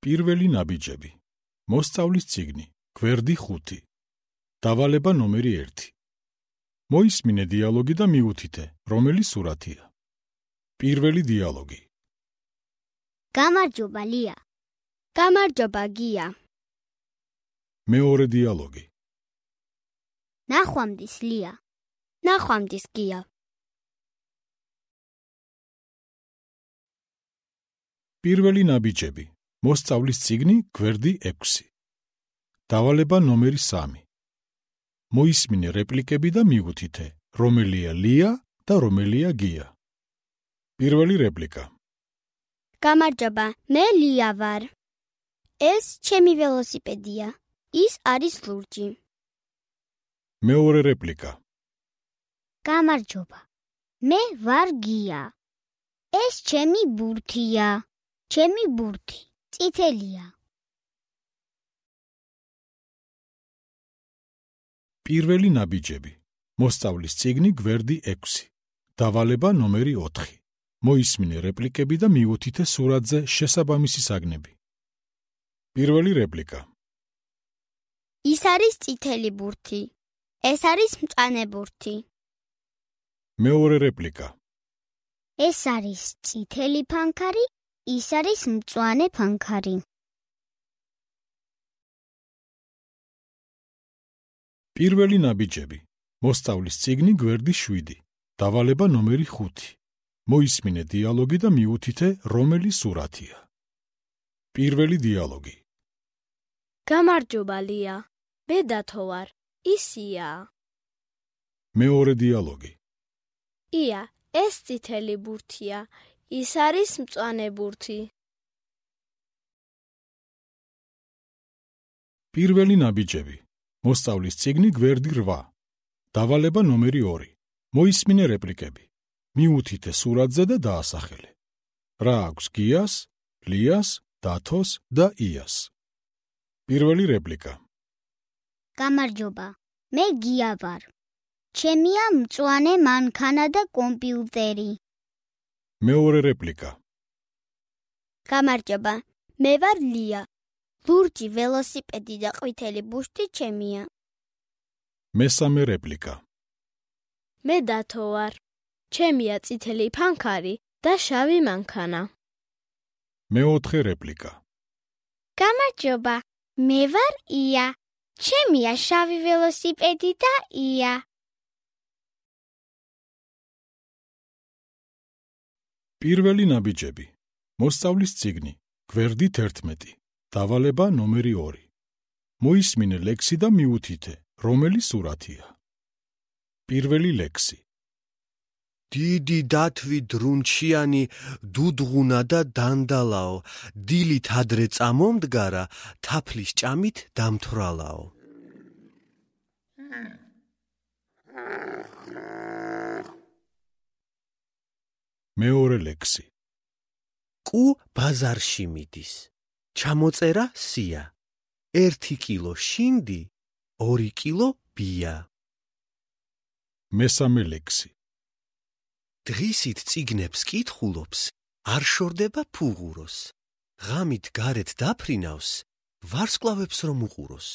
პირველი ნაბიჯები. მოსწავლის წიგნი, გვერდი 5. დავალება ნომერი 1. მოისმინე დიალოგი და მიუთითე, რომელი სურათია. პირველი დიალოგი. გამარჯობა ლია. გამარჯობა გია. მეორე დიალოგი. ნახვამდის ლია. ნახვამდის გია. პირველი ნაბიჯები. მოსწავლის წიგნი, გვერდი 6. დავალება ნომერი 3. მოისმინე რეპლიკები და მიუთითე, რომელია ლია და რომელია გია. პირველი რეპლიკა. გამარჯობა, მე ლია ვარ. ეს ჩემი ველოსიპედია. ის არის ლურჯი. მეორე რეპლიკა. გამარჯობა, მე ვარ გია. ეს ჩემი ბურთია. ჩემი ბურთი წითელია. პირველი ნაბიჯები. მოსწავლის წიგნი, გვერდი 6. დავალება ნომერი 4. მოისმინე რეპლიკები და მიუთითე სურათზე შესაბამისი საგნები. პირველი რეპლიკა. ის არის წითელი ბურთი. ეს არის მწვანე ბურთი. მეორე რეპლიკა. ეს არის წითელი ფანქარი, ის არის მწვანე ფანქარი. პირველი ნაბიჯები. მოსწავლის წიგნი, გვერდი 7. დავალება ნომერი 5. მოისმინე დიალოგი და მიუთითე, რომელი სურათია. პირველი დიალოგი. გამარჯობა ლია. მე დათო ვარ. ისია. მეორე დიალოგი. ია, ეს წითელი ბურთია. ის არის მწვანე ბურთი. პირველი ნაბიჯები. მოსწავლის წიგნი, გვერდი 8. დავალება ნომერი 2. მოისმინე რეპლიკები. მიუთითე სურათზე და დაასახელე. რა აქვს გიას, ლიას, დათოს და იას. პირველი რეპლიკა. გამარჯობა, მე გია ვარ. ჩემია მწვანე მანქანა და კომპიუტერი. მეორე რეპლიკა. გამარჯობა, მე ვარ ლია. ლურჯი ველოსიპედი და ყვითელი ბუშტი ჩემია. მესამე რეპლიკა. მე დათო ვარ. ჩემია წითელი ფანქარი და შავი მანქანა. მეოთხე რეპლიკა. გამარჯობა, მე ვარ ია. ჩემია შავი ველოსიპედი და ია. პირველი ნაბიჯები. მოსწავლის წიგნი, გვერდი 11. დავალება ნომერი 2. მოისმინე ლექსი და მიუთითე, რომელი სურათია. პირველი ლექსი. დიდი დათვი დრუნჩიანი დუდღუნა და დანდალაო, დილით ადრე წამომდგარა, თაფლის ჭამით დამთვრალაო. მეორე ლექსი. კუ ბაზარში მიდის. ჩამოწერა სია. 1 კილო შინდი, 2 კილო ბია. მესამე ლექსი. დღისით წიგნებს კითხულობს, არ შორდება ფუღუროს. ღამით გარეთ დაფრინავს, ვარსკვლავებს რომ უყუროს.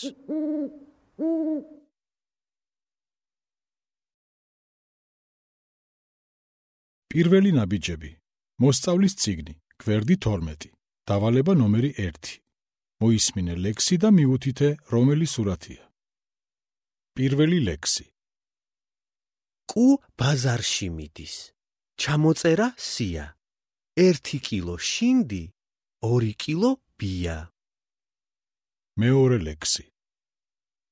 პირველი ნაბიჯები. მოსწავლის წიგნი, გვერდი 12. დავალება ნომერი 1. მოისმინე ლექსი და მიუთითე, რომელი სურათია. პირველი ლექსი. კუ ბაზარში მიდის. ჩამოწერა სია. 1 კილო შინდი, 2 კილო ბია. მეორე ლექსი.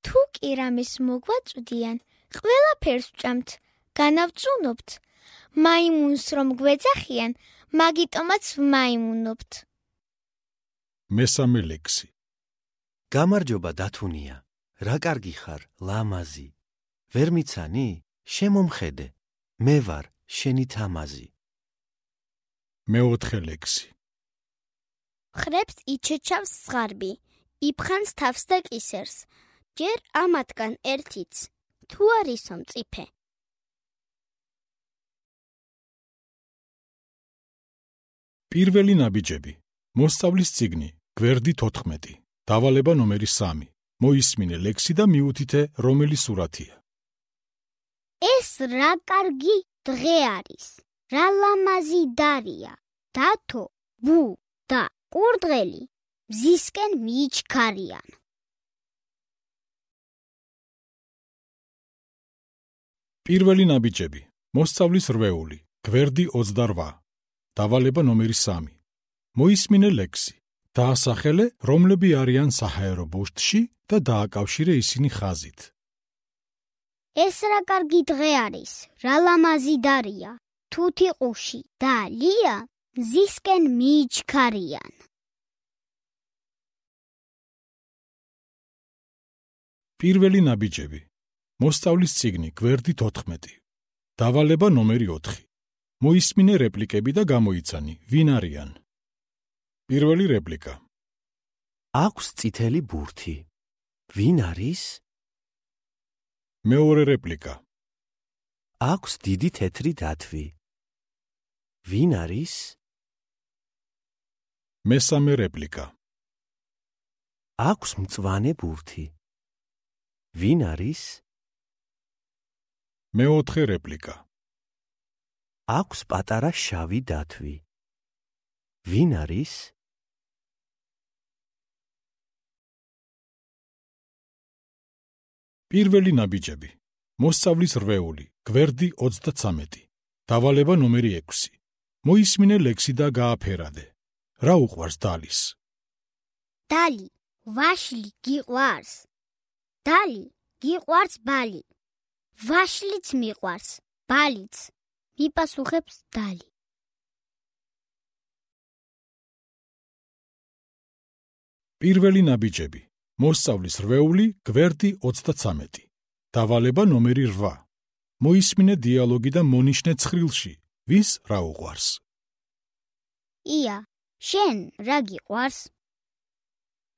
თუ კი რამეს მოგვაწვდიან, ყველაფერს ვჭამთ, განავწუნებთ. მაიმუნს რომ გვეძახიან, მაგიტომაც ვმაიმუნობთ. მესამე ლექსი. გამარჯობა დათუნია. რა კარგი ხარ, ლამაზი. ვერ მიცანი? შემომხედე. მე ვარ შენი თამაზი. მეოთხე ლექსი. ხრებს იჩეჩავს ზღარბი, იფხანს თავს და კისერს. ჯერ ამათგან ერთიც, თუ არისო მწიფე. პირველი ნაბიჯები. მოსწავლის წიგნი, გვერდი 14, დავალება ნომერი 3. მოისმინე ლექსი და მიუთითე, რომელი სურათია. ეს რა კარგი დღე არის. რა ლამაზი დარია. დათო, ბუ და კურდღელი მზისკენ მიიჩქარიან. პირველი ნაბიჯები. მოსწავლის რვეული, გვერდი 28, დავალება ნომერი 3. მოისმინე ლექსი. დაასახელე, რომლები არიან საჰაერო ბუშტში და დააკავშირე ისინი ხაზით. ეს რა კარგი დღე არის. რა ლამაზი დარია. თუთიყუში და ლია მზისკენ მიიჩქარიან. პირველი ნაბიჯები. მოსწავლის წიგნი, გვერდი 14, დავალება ნომერი 4. მოისმინე რეპლიკები და გამოიცანი, ვინ არიან. პირველი რეპლიკა. აქვს წითელი ბურთი. ვინ არის? მეორე რეპლიკა. აქვს დიდი თეთრი დათვი. ვინ არის? მესამე რეპლიკა. აქვს მწვანე ბურთი. ვინ არის? მეოთხე რეპლიკა. აქვს პატარა შავი დათვი. ვინ არის? პირველი ნაბიჯები. მოსწავლის რვეული, გვერდი 33, დავალება ნომერი 6. მოისმინე ლექსი და გააფერადე. რა უყვარს დალის? დალი, ვაშლი გიყვარს. დალი, გიყვარს ბალი. ვაშლიც მიყვარს, ბალიც. მიპასუხებს დალი. პირველი ნაბიჯები. მოსწავლის რვეული, გვერდი 33, დავალება ნომერი 8. მოისმინე დიალოგი და მონიშნე ცხრილში, ვის რა უყვარს. ია, შენ რა გიყვარს?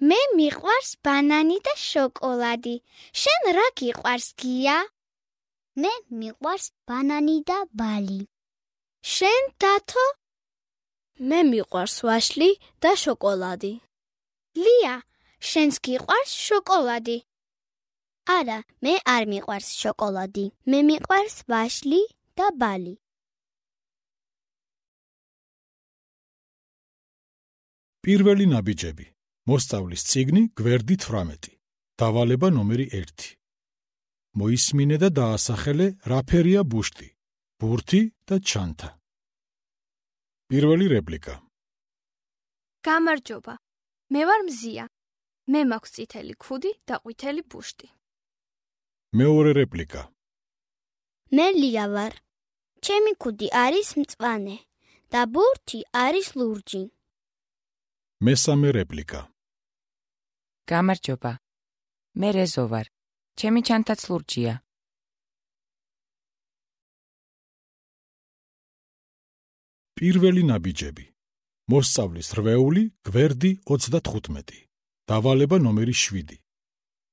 მე მიყვარს ბანანი და შოკოლადი. შენ რა გიყვარს, გია? მე მიყვარს ბანანი და ბალი. შენ, დათო? მე მიყვარს ვაშლი და შოკოლადი. ლია, შენს გიყვარს შოკოლადი? არა, მე არ მიყვარს შოკოლადი. მე მიყვარს ვაშლი და ბალი. პირველი ნაბიჯები. მოსწავლის წიგნი, გვერდი 18, დავალება ნომერი 1. მოისმინე და დაასახელე, რა ფერია ბუშტი, ბურთი და ჩანთა. პირველი რეპლიკა. გამარჯობა. მე ვარ მზია. მე მაქვს წითელი ქუდი და ყვითელი ბუშტი. მეორე რეპლიკა. მე ლია ვარ. ჩემი ქუდი არის მწვანე და ბურთი არის ლურჯი. მესამე რეპლიკა. გამარჯობა. მე რეზო ვარ. ჩემი ჩანთაც ლურჯია. პირველი ნაბიჯები. მოსწავლის რვეული, გვერდი 35, დავალება ნომერი 7.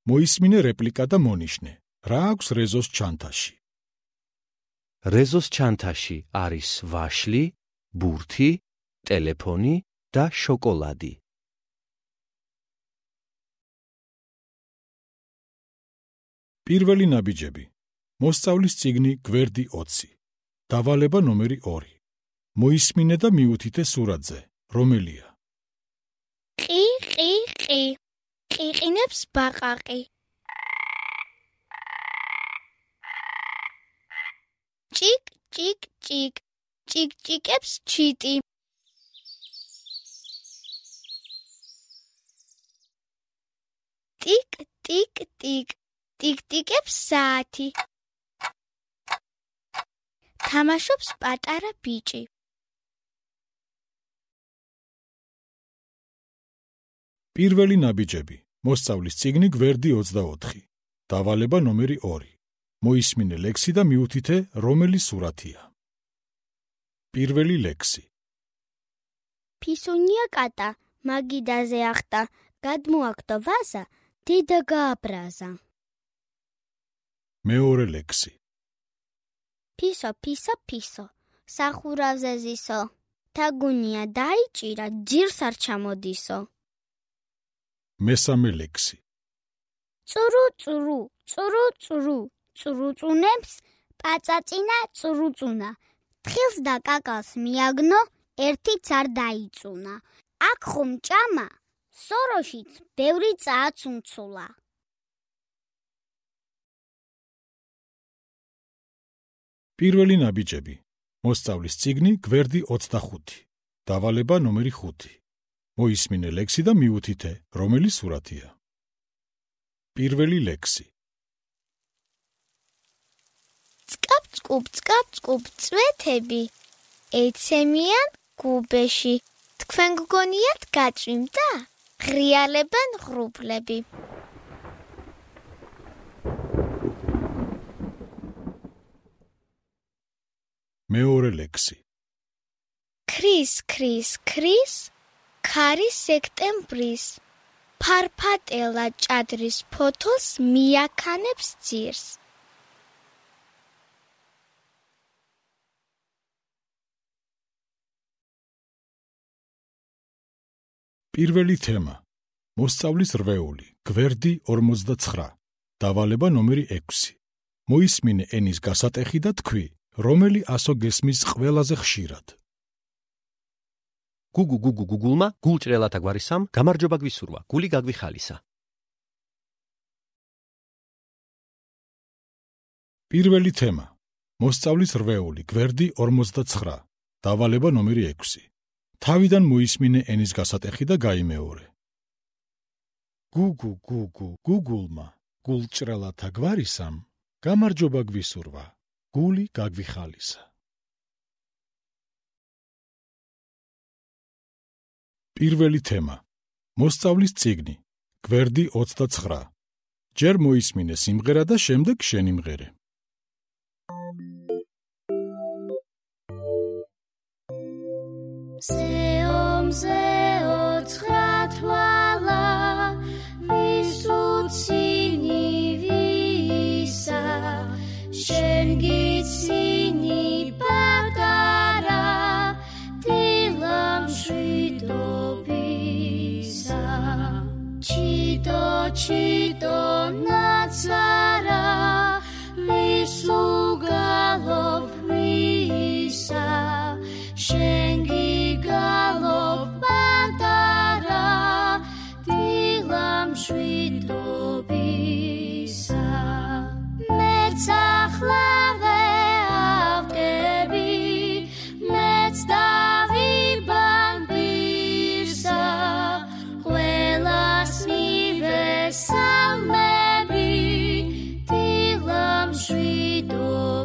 მოისმინე რეპლიკა და მონიშნე, რა აქვს რეზოს ჩანთაში. რეზოს ჩანთაში არის ვაშლი, ბურთი, ტელეფონი და შოკოლადი. პირველი ნაბიჯები. მოსწავლის წიგნი, გვერდი 20, დავალება ნომერი 2. მოისმინე და მიუთითე სურათზე, რომელია. ყი, ყი, ყი. ყიყინებს ბაყაყი. ჭიკ, ჭიკ, ჭიკ. ჭიკჭიკებს ჩიტი. ტიკ, ტიკ, ტიკ. ტიკტიკებს საათი. თამაშობს პატარა ბიჭი. პირველი ნაბიჯები. მოსწავლის წიგნი, გვერდი 24, დავალება ნომერი 2. მოისმინე ლექსი და მიუთითე, რომელი სურათია. პირველი ლექსი. ფისუნია კატა, მაგიდაზე ახტა, გადმოაგდო ვაზა, დედა გააბრაზა. მეორე ლექსი. ფისო, ფისო, ფისო, სახურავზე ზისო, თაგუნია დაიჭირა, ჯირს არ ჩამოდისო. მესამე ლექსი. წურუ-წურუ, წურუ-წურუ, წურუწუნებს პაწაწინა წურუწუნა. თხილს და კაკალს მიაგნო, ერთიც არ დაიწუნა. აქ ხომ ჭამა, სოროშიც ბევრი წააცუნცულა. პირველი ნაბიჯები. მოსწავლის წიგნი გვერდი 25. დავალება ნომერი 5. მოისმინე ლექსი და მიუთითე, რომელი სურათია. პირველი ლექსი. წკაპ-წკუპ, წვეთები ეცემიან გუბეში. თქვენ გგონიათ გაჭიმდა? ღრიალებენ ღრუბლები. მეორე ლექსი. ქრის, ქარი სექტემბრის. ფარფატელა ჭადრის ფოთოლს მიაქანებს ძირს. პირველი თემა. მოსწავლის რვეული, გვერდი 49. დავალება ნომერი 6. მოისმინე ენის გასატეხი და თქვი, რომელი ასო გესმის ყველაზე ხშირად. გუგულმა გულჭრელათა გვარისამ გამარჯობა გვისურვა, გული გაგვიხალისა. პირველი თემა. მოსწავლის რვეული, გვერდი 49. დავალება ნომერი 6. თავიდან მოისმინე ენის გასატეხი და გაიმეორე. გუგულმა გულჭრელათა გვარისამ გამარჯობა გვისურვა, გული გაგვიხალისა. პირველი თემა. მოსწავლის წიგნი, გვერდი 29. ჯერ მოისმინე სიმღერა და შემდეგ შენი მღერე. მზეო ცხრათვალა, ვისუცინი ვისა, შენ გიცინი პატარა, დილა მშვიდობისა. ჩიტო ნაცარა, ვისუ გალობ ვისა, შენ გიგალობ პატარა, დილა მშვიდობისა. მეც ახლავე ავტები, მეც დავიბან პირსა, ყველას მივესალმები, დილა მშვიდობისა.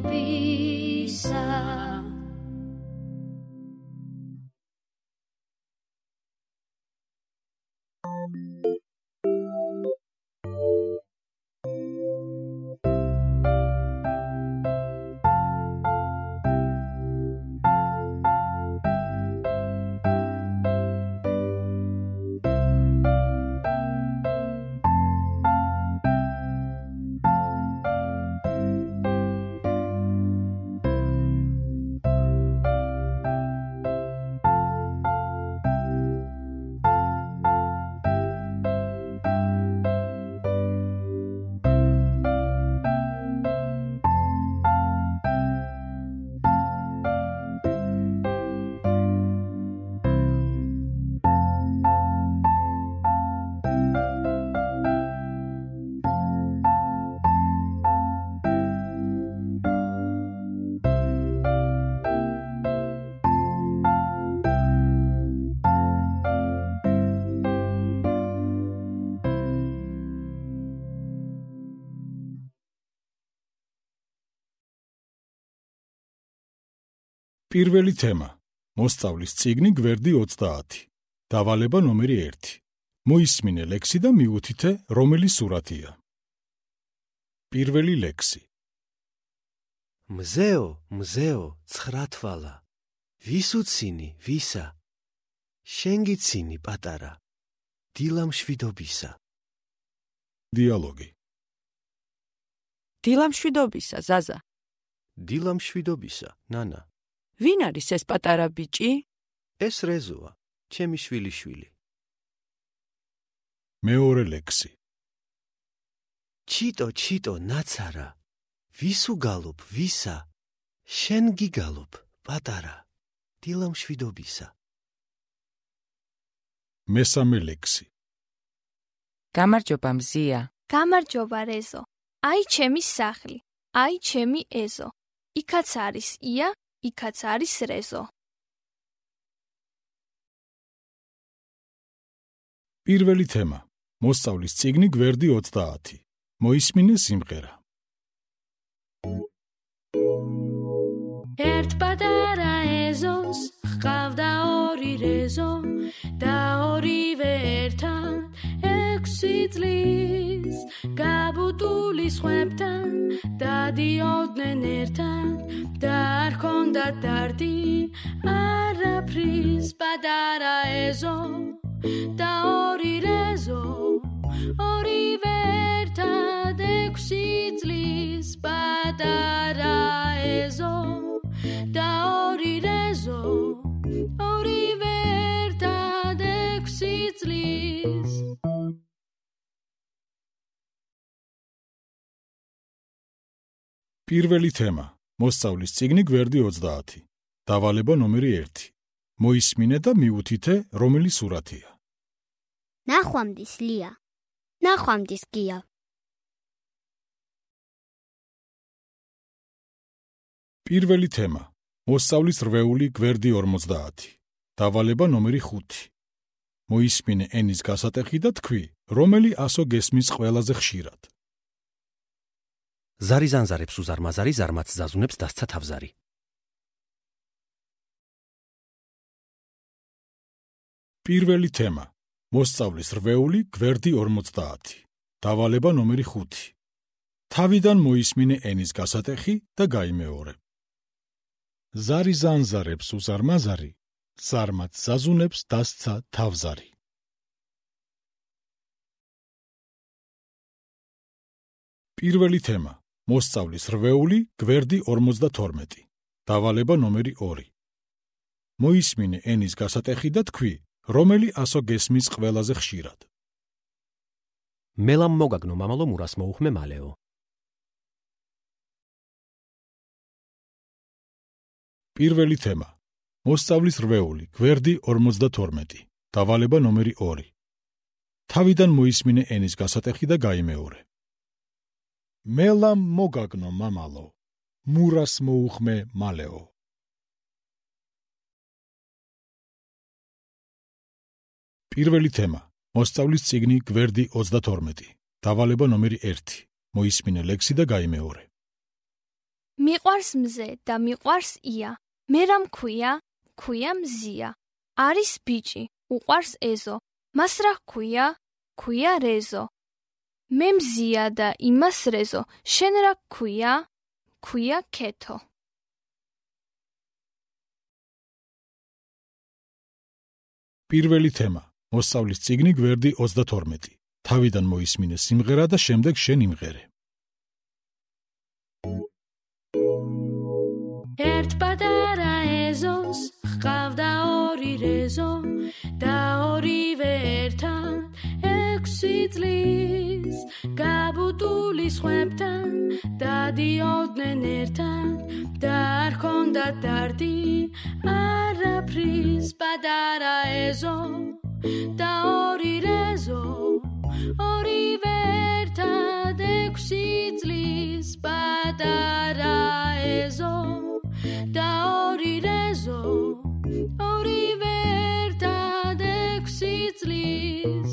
პირველი თემა. მოსწავლის წიგნი გვერდი 30. დავალება ნომერი 1. მოისმინე ლექსი და მიუთითე, რომელი სურათია. პირველი ლექსი. მზეო ცხრათვალა, ვისუცინი ვისა, შენ გიცინი პატარა, დილა მშვიდობისა. დიალოგი. დილა მშვიდობისა, ზაზა. დილა მშვიდობისა, ნანა. ვინ არის ეს პატარა ბიჭი? ეს რეზოა, ჩემი შვილიშვილი. მეორე ლექსი. ჩიტო ნაცარა, ვის უგალობ, ვისა, შენ გიგალობ, პატარა, დილა მშვიდობისა. მესამე ლექსი. გამარჯობა მზია. გამარჯობა რეზო. აი ჩემი სახლი, აი ჩემი ეზო. იქაც არის ია, იქაც არის რეზო. პირველი თემა. მოსწავლის წიგნი გვერდი 30. მოისმინე სიმღერა. ერთ პატარა ეზოს ჰყავდა ორი რეზო და ორივე ერთად 6 წლის გაბუტული სხვებთან დადიოდნენ ერთად და არ ჰქონდათ დარდი არაფრის პატარა ეზო და ორი რეზო ორივე ერთად 6 წლის პატარა ეზო და ორი რეზო ორივე ერთად 6 წლის. პირველი თემა. მოსწავლის წიგნი გვერდი 30. დავალება ნომერი 1. მოისმინე და მიუთითე, რომელი სურათია. ნახვამდის ლია. ნახვამდის გია. პირველი თემა. მოსწავლის რვეული გვერდი 50. დავალება ნომერი 5. მოისმინე ენის გასატეხი და თქვი, რომელი ასო გესმის ყველაზე ხშირად. ზარი ზანზარებს უზარმაზარი, ზარმაც ზაზუნებს დასცა თავზარი. პირველი თემა. მოსწავლის რვეული გვერდი 50. დავალება ნომერი 5. თავიდან მოისმინე ენის გასატეხი და გაიმეორე. ზარი ზანზარებს უზარმაზარი, ზარმაც ზაზუნებს დასცა თავზარი. პირველი თემა. მოსწავლის რვეული გვერდი 52. დავალება ნომერი 2. მოისმინე ენის გასატეხი და თქვი, რომელი ასო გესმის ყველაზე ხშირად. მელამ მოგაგნო მამალო მურას მოუხმე მალეო. პირველი თემა. მოსწავლის რვეული გვერდი 52. დავალება ნომერი 2. თავიდან მოისმინე ენის გასატეხი და გაიმეორე. მელამ მოგაგნო მამალო, მურას მოუხმე მალეო. პირველი თემა. მოსწავლის წიგნი გვერდი 32. დავალება ნომერი 1. მოისმინე ლექსი და გაიმეორე. მიყვარს მზე და მიყვარს ია. მე რა მქვია? ქვია მზია. არის ბიჭი, უყვარს ეზო. მას რა ქვია? ქვია რეზო. მე მზია და იმას რეზო. შენ რა ქვია? ქვია ქეთო. პირველი თემა. მოსწავლის წიგნი გვერდი 32. თავიდან მოისმინე სიმღერა და შემდეგ შენ იმღერე. ერთ პატარა ეზოს ჰყავდა ორი რეზო და ორივე ერთად 6 წლის გაბუტული სხვებთან დადიოდნენ ერთად და არ ჰქონდათ დარდი არაფრის პატარა ეზო და ორი რეზო ორივე ერთად 6 წლის პატარა ეზო და ორი რეზო ორივე ერთად 6 წლის.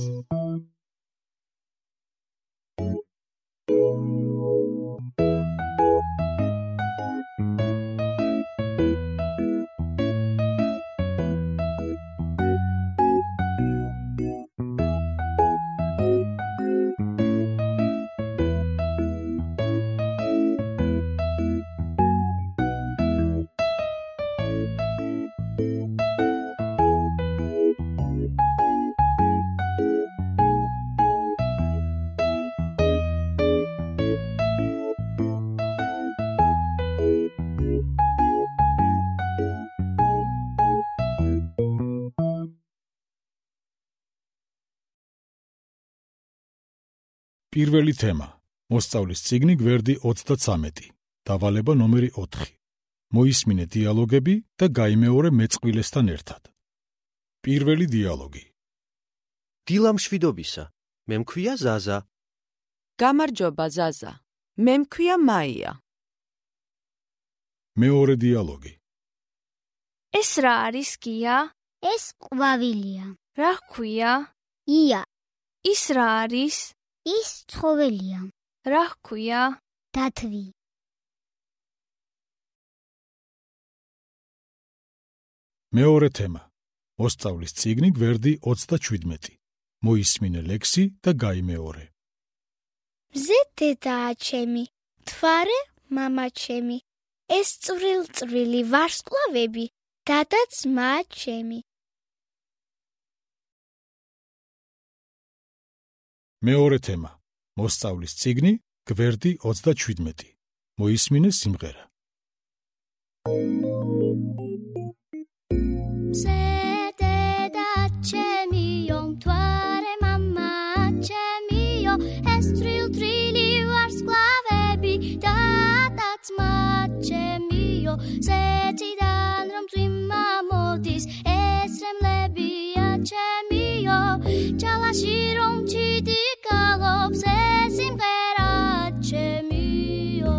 პირველი თემა. მოსწავლის წიგნი გვერდი 33. დავალება ნომერი 4. მოისმინე დიალოგები და გაიმეორე მეწყვილესთან ერთად. პირველი დიალოგი. დილა მშვიდობისა. მე მქვია ზაზა. გამარჯობა ზაზა. მე მქვია მაია. მეორე დიალოგი. ეს რა არის გია? ეს ყვავილია. რა ჰქვია? ია. ის რა არის? ის ცხოველია. რა ჰქვია? დათვი. მეორე თემა. მოსწავლის წიგნი გვერდი 37. მოისმინე ლექსი და გაიმეორე. მზე დედაა ჩემი, მთვარე მამა ჩემი, ეს წვრილ-წვრილი ვარსკვლავები, დადა ძმა ჩემი. მეორე თემა. მოსწავლის წიგნი გვერდი 37. მოისმინე სიმღერა. მზე დედა ჩემიო, მთვარე მამა ჩემიო, ეს წვრილ-წვრილი ვარსკვლავები, დადა ძმა ჩემიო, ზეთიდან რომ წვიმა მოდის, ესრემლებია ჩემიო, ჯალაში რომ ჩიდი გალობს, ეს სიმღერა ჩემიო.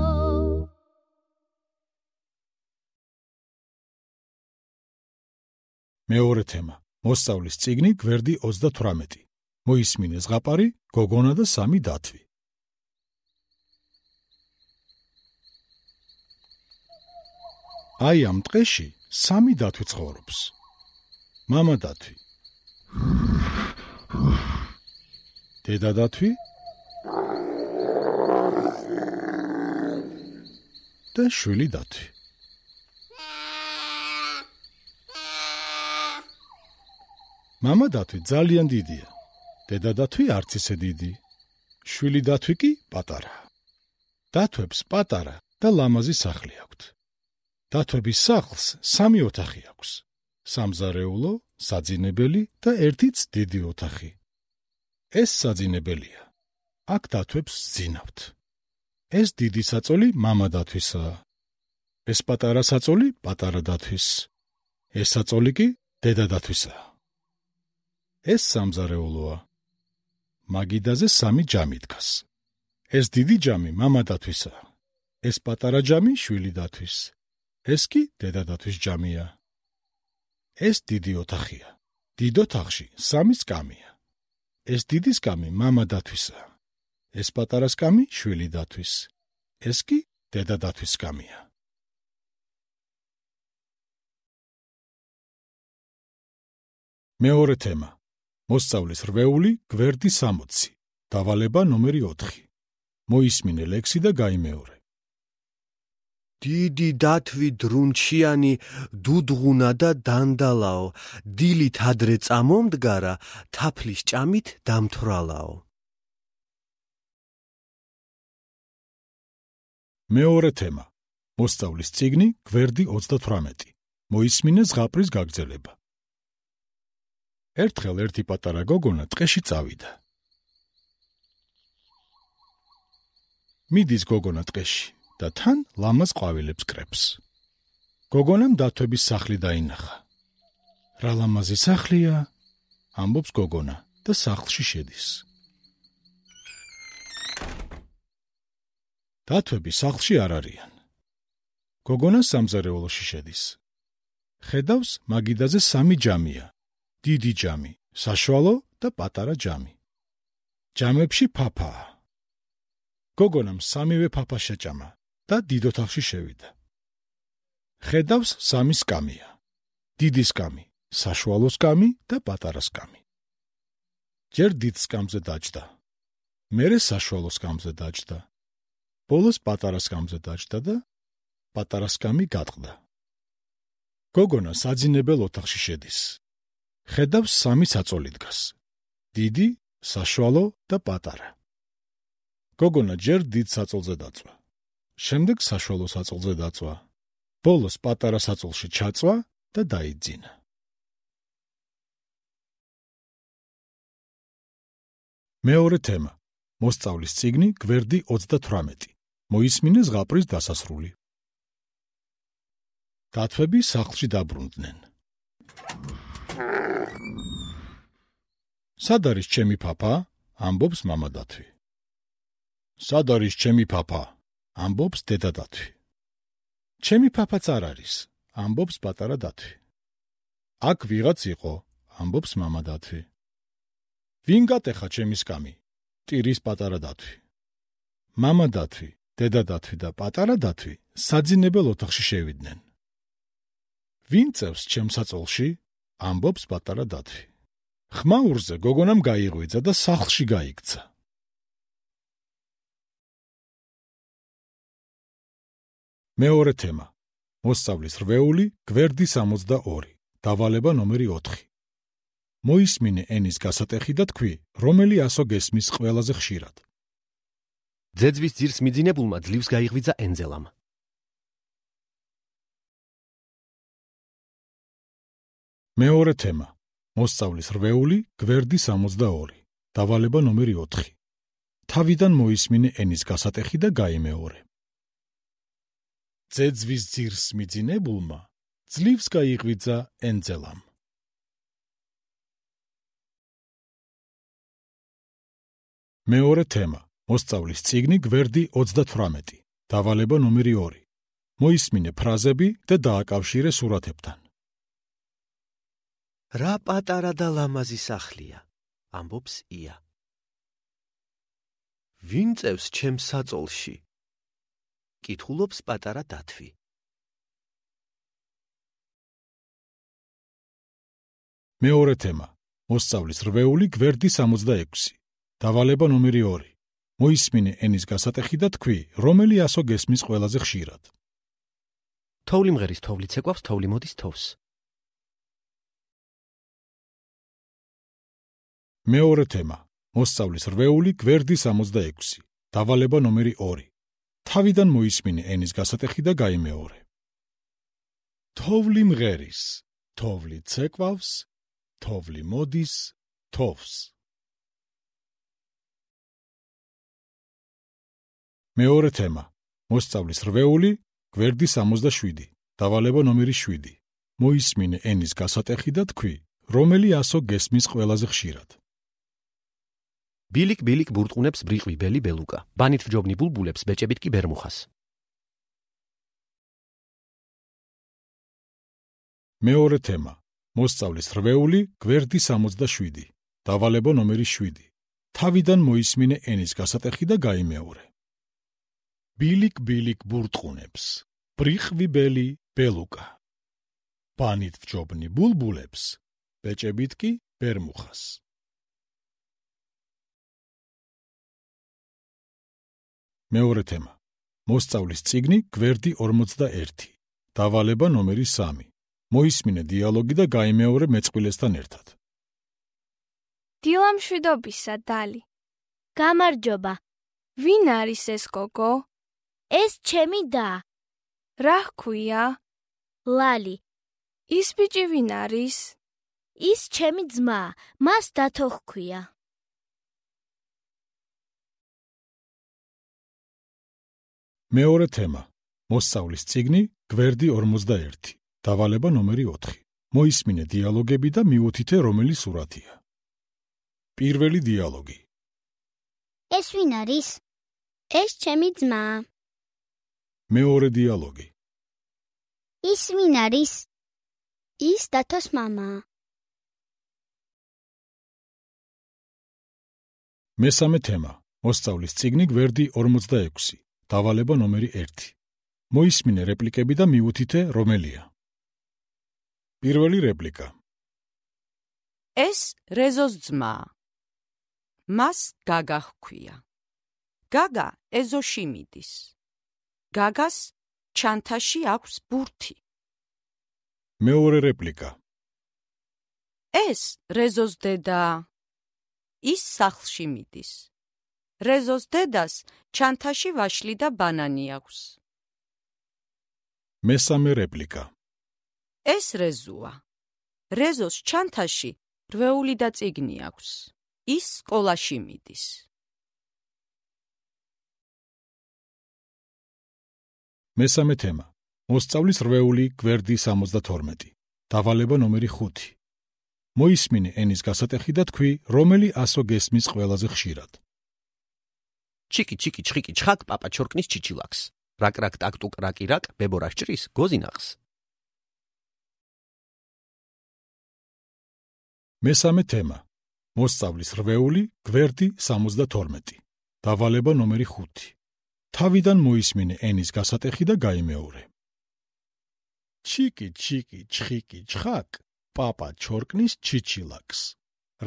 მეორე თემა. მოსწავლის წიგნი გვერდი 38. მოისმინე ზღაპარი, გოგონა და 3 დათვი. აი ამ ტყეში 3 დათვი ცხოვრობს. მამა დათვი, დედა დათვი და შვილი დათვი. მამა დათვი ძალიან დიდია. დედა დათვი არც ისე დიდი. შვილი დათვი კი პატარა. დათვებს პატარა და ლამაზი სახლი აქვთ. დათვების სახლს 3 ოთახი აქვს. სამზარეულო, საძინებელი და ერთიც დიდი ოთახი. ეს საძინებელია. აქ დათვებს ზინავთ. ეს დიდი საწოლი მამა დათვისაა. ეს პატარა საწოლი პატარა დათვის. ეს საწოლი კი დედა დათვისაა. ეს სამზარეულოა. მაგიდაზე 3 ჯამი დგას. ეს დიდი ჯამი მამა დათვისაა. ეს პატარა ჯამი შვილი დათვის. ეს კი დედა დათვის ჯამია. ეს დიდი ოთახია. დიდ ოთახში 3 სკამია. ეს დიდი სკამი მამა დათვისაა. ეს პატარა სკამი შვილი დათვის. ეს კი დედა დათვის სკამია. მეორე თემა. მოსწავლის რვეული გვერდი 60. დავალება ნომერი 4. მოისმინე ლექსი და გაიმეორე. დიდი დათვი დრუნჩიანი დუდღუნა და დანდალაო, დილით ადრე წამომდგარა, თაფლის ჭამით დამთვრალაო. მეორე თემა. მოსწავლის წიგნი გვერდი 38. მოისმინე ზღაპრის გაგრძელება. ერთხელ ერთი პატარა გოგონა ტყეში წავიდა. მიდის გოგონა ტყეში და თან ლამაზ ყვავილებს კრებს. გოგონამ დათვების სახლი დაინახა. რა ლამაზი სახლია, ამბობს გოგონა და სახლში შედის. დათვები სახლში არ არიან. გოგონა სამზარეულოში შედის. ხედავს მაგიდაზე 3 ჯამია. დიდი ჯამი, საშუალო და პატარა ჯამი. ჯამებში ფაფაა. გოგონამ 3-ვე ფაფა შეჭამა და დიდ ოთახში შევიდა. ხედავს 3 სკამია. დიდი სკამი, საშუალო სკამი და პატარა სკამი. ჯერ დიდ სკამზე დაჯდა. მერე საშუალო სკამზე დაჯდა. ბოლოს პატარა სკამზე დაჯდა და პატარა სკამი გატყდა. გოგონა საძინებელ ოთახში შედის. ხედავს 3 საწოლი დგას. დიდი, საშუალო და პატარა. გოგონა ჯერ დიდ საწოლზე დაწვა. შემდეგ საშუალო საწოლზე დაწვა. ბოლოს პატარა საწოლში ჩაწვა და დაიძინა. მეორე თემა. მოსწავლის წიგნი გვერდი 38. მოისმინე ზღაპრის დასასრული. დათვები სახლში დაბრუნდნენ. სად არის ჩემი papa? ამბობს მამა დათვი. სად არის ჩემი papa? ამბობს დედა დათვი. ჩემი papa-ც არ არის, ამბობს პატარა დათვი. აქ ვიღაც იყო, ამბობს მამა დათვი. ვინ გატეხა ჩემი სკამი? ტირის პატარა დათვი. მამა დათვი, დედა დათვი და პატარა დათვი საძინებელ ოთახში შევიდნენ. ვინ წევს ჩემს საწოლში? ამბობს პატარა დათვი. ხმაურზე გოგონამ გაიღვიძა და სახლში გაიქცა. მეორე თემა. მოსწავლის რვეული, გვერდი 62. დავალება ნომერი 4. მოისმინე ენის გასატეხი და თქვი, რომელი ასო გესმის ყველაზე ხშირად. ძეძვის ძირს მიძინებულმა ძლივს გაიღვიძა ენძელამ. მეორე თემა. მოსწავლის რვეული, გვერდი 62. დავალება ნომერი 4. თავიდან მოისმინე ენის გასატეხი და გაიმეორე. ძეძვის ძირს მიძინებულმა ძლივს გაიღვიძა ენძელამ. მეორე თემა. მოსწავლის წიგნი გვერდი 38. დავალება ნომერი 2. მოისმინე ფრაზები და დააკავშირე სურათებთან. რა პატარა და ლამაზი სახლია, ამბობს ია. ვინ წევს ჩემს საწოლში? კითხულობს პატარა დათვი. მეორე თემა. მოსწავლის რვეული, გვერდი 66. დავალება ნომერი 2. მოისმინე ენის გასატეხი და თქვი, რომელი ასო გესმის ყველაზე ხშირად. თოვლი მღერის თოვლი ცეკვავს, თოვლი მოდის თოვს. მეორე თემა. მოსწავლის რვეული, გვერდი 66. დავალება ნომერი 2. თავიდან მოისმინე ენის გასატეხი და გაიმეორე. თოვლი მღერის, თოვლი ცეკვავს, თოვლი მოდის თოვს. მეორე თემა. მოსწავლის რვეული, გვერდი 67. დავალება ნომერი 7. მოისმინე ენის გასატეხი და თქვი, რომელი ასო გესმის ყველაზე ხშირად. ბილიკ-ბილიკ ბურტყუნებს ბრიყვი ბელი ბელუკა. ბანით ვჯობნი ბულბულებს ბეჭებით კი ბერმუხას. მეორე თემა. მოსწავლის რვეული, გვერდი 67. დავალება ნომერი 7. თავიდან მოისმინე ენის გასატეხი და გაიმეორე. ბილიკ-ბილიკ ბურტყუნებს ბრიყვი ბელი ბელუკა. ბანით ვჯობნი ბულბულებს ბეჭებით კი ბერმუხას. მეორე თემა. მოსწავლის წიგნი გვერდი 41. დავალება ნომერი 3. მოისმინე დიალოგი და გაიმეორე მეწყვილესთან ერთად. დილამშვიდობისა, დალი. გამარჯობა. ვინ არის ეს გოგო? ეს ჩემი და. რა ჰქვია? ლალი. ის ბიჭი ვინ არის? ის ჩემი ძმა, მას დათო ჰქვია. მეორე თემა. მოსწავლის წიგნი გვერდი 41. დავალება ნომერი 4. მოისმინე დიალოგები და მიუთითე რომელი სურათია. პირველი დიალოგი. ეს ვინ არის? ეს ჩემი ძმა. მეორე დიალოგი. ის ვინ არის? ის დათოს მამა. მესამე თემა. მოსწავლის წიგნი გვერდი 46. დავალება ნომერი 1. მოისმინე რეპლიკები და მიუთითე რომელია. პირველი რეპლიკა. ეს რეზოს ძმაა. მას გაგა ჰქვია. გაგა ეზოში მიდის. გაგას ჩანთაში აქვს ბურთი. მეორე რეპლიკა. ეს რეზოს დედაა. ის სახლში მიდის. რეზოს დედას ჩანთაში ვაშლი და ბანანი აქვს. მესამე რეპლიკა. ეს რეზოა. რეზოს ჩანთაში რვეული და წიგნი აქვს. ის სკოლაში მიდის. მესამე თემა. მოსწავლის რვეული გვერდი 72. დავალება ნომერი 5. მოისმინე ენის გასატეხი და თქვი, რომელი ასო გესმის ყველაზე ხშირად. ჩიკი ჩიკი ჩხიკი ჩხაკ პაპა ჩორკნის ჩიჩილაკს. რაკ რაკ ტაკ ტუკ რაკი რაკ ბებორა სჭრის გოზინახს. მესამე თემა. მოსწავლის რვეული გვერდი 72. დავალება ნომერი 5. თავიდან მოისმინე ენის გასატეხი და გაიმეორე. ჩიკი ჩიკი ჩხიკი ჩხაკ პაპა ჩორკნის ჩიჩილაკს.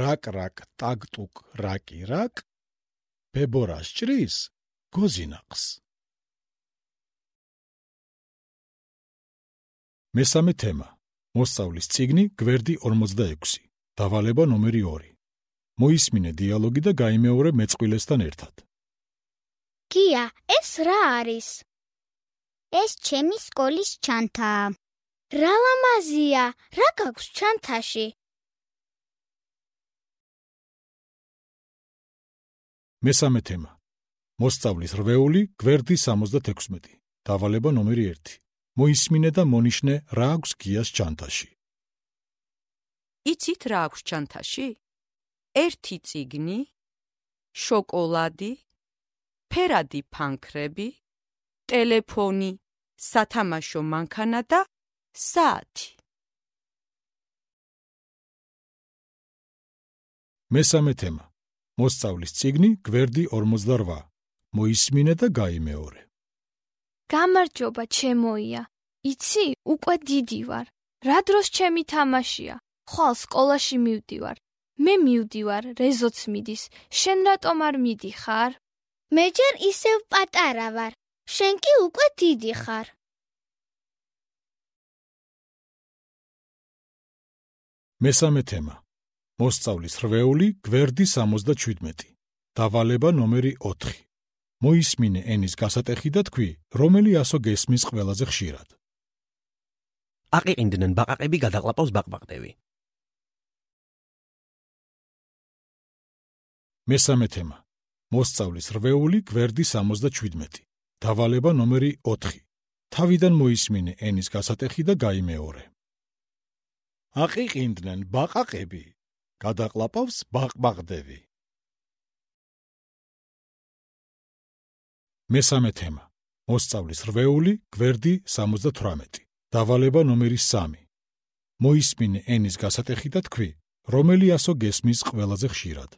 რაკ რაკ ტაკ ტუკ რაკი რაკ ბებორა სჭრის გოზინახს. მესამე თემა. მოსწავლის წიგნი გვერდი 46. დავალება ნომერი 2. მოისმინე დიალოგი და გაიმეორე მეწყვილესთან ერთად. გია, ეს რა არის? ეს ჩემი სკოლის ჩანთაა. რა ლამაზია, რა გაქვს ჩანთაში? მესამე თემა. მოსწავლის რვეული გვერდი 76. დავალება ნომერი 1. მოისმინე და მონიშნე რა აქვს გიას ჩანთაში. იცით რა აქვს ჩანთაში? ერთი წიგნი, შოკოლადი, ფერადი ფანქრები, ტელეფონი, სათამაშო მანქანა და საათი. მესამე თემა. მოსწავლის წიგნი გვერდი 48. მოისმინე და გაიმეორე. გამარჯობა ჩემოია. იცი, უკვე დიდი ვარ. რა დროს ჩემი თამაშია? ხვალ სკოლაში მივდივარ. მე მივდივარ, რეზოც მიდის. შენ რატომ არ მიდიხარ? მე ჯერ ისევ პატარა ვარ. შენ კი უკვე დიდი ხარ. მესამე თემა. მოსწავლის რვეული გვერდი 77. დავალება ნომერი 4. მოისმინე ენის გასატეხი და თქვი, რომელი ასო გესმის ყველაზე ხშირად. აყიყინდნენ ბაყაყები გადაყლაპავს ბაყბაყდევი. მესამე თემა. მოსწავლის რვეული გვერდი 77. დავალება ნომერი 4. თავიდან მოისმინე ენის გასატეხი და გაიმეორე. აყიყინდნენ ბაყაყები გადაყლაპავს ბაყბაყდევი. მესამე თემა. მოსწავლის რვეული გვერდი 78. დავალება ნომერი 3. მოისმინე ენის გასატეხი და თქვი, რომელი ასო გესმის ყველაზე ხშირად.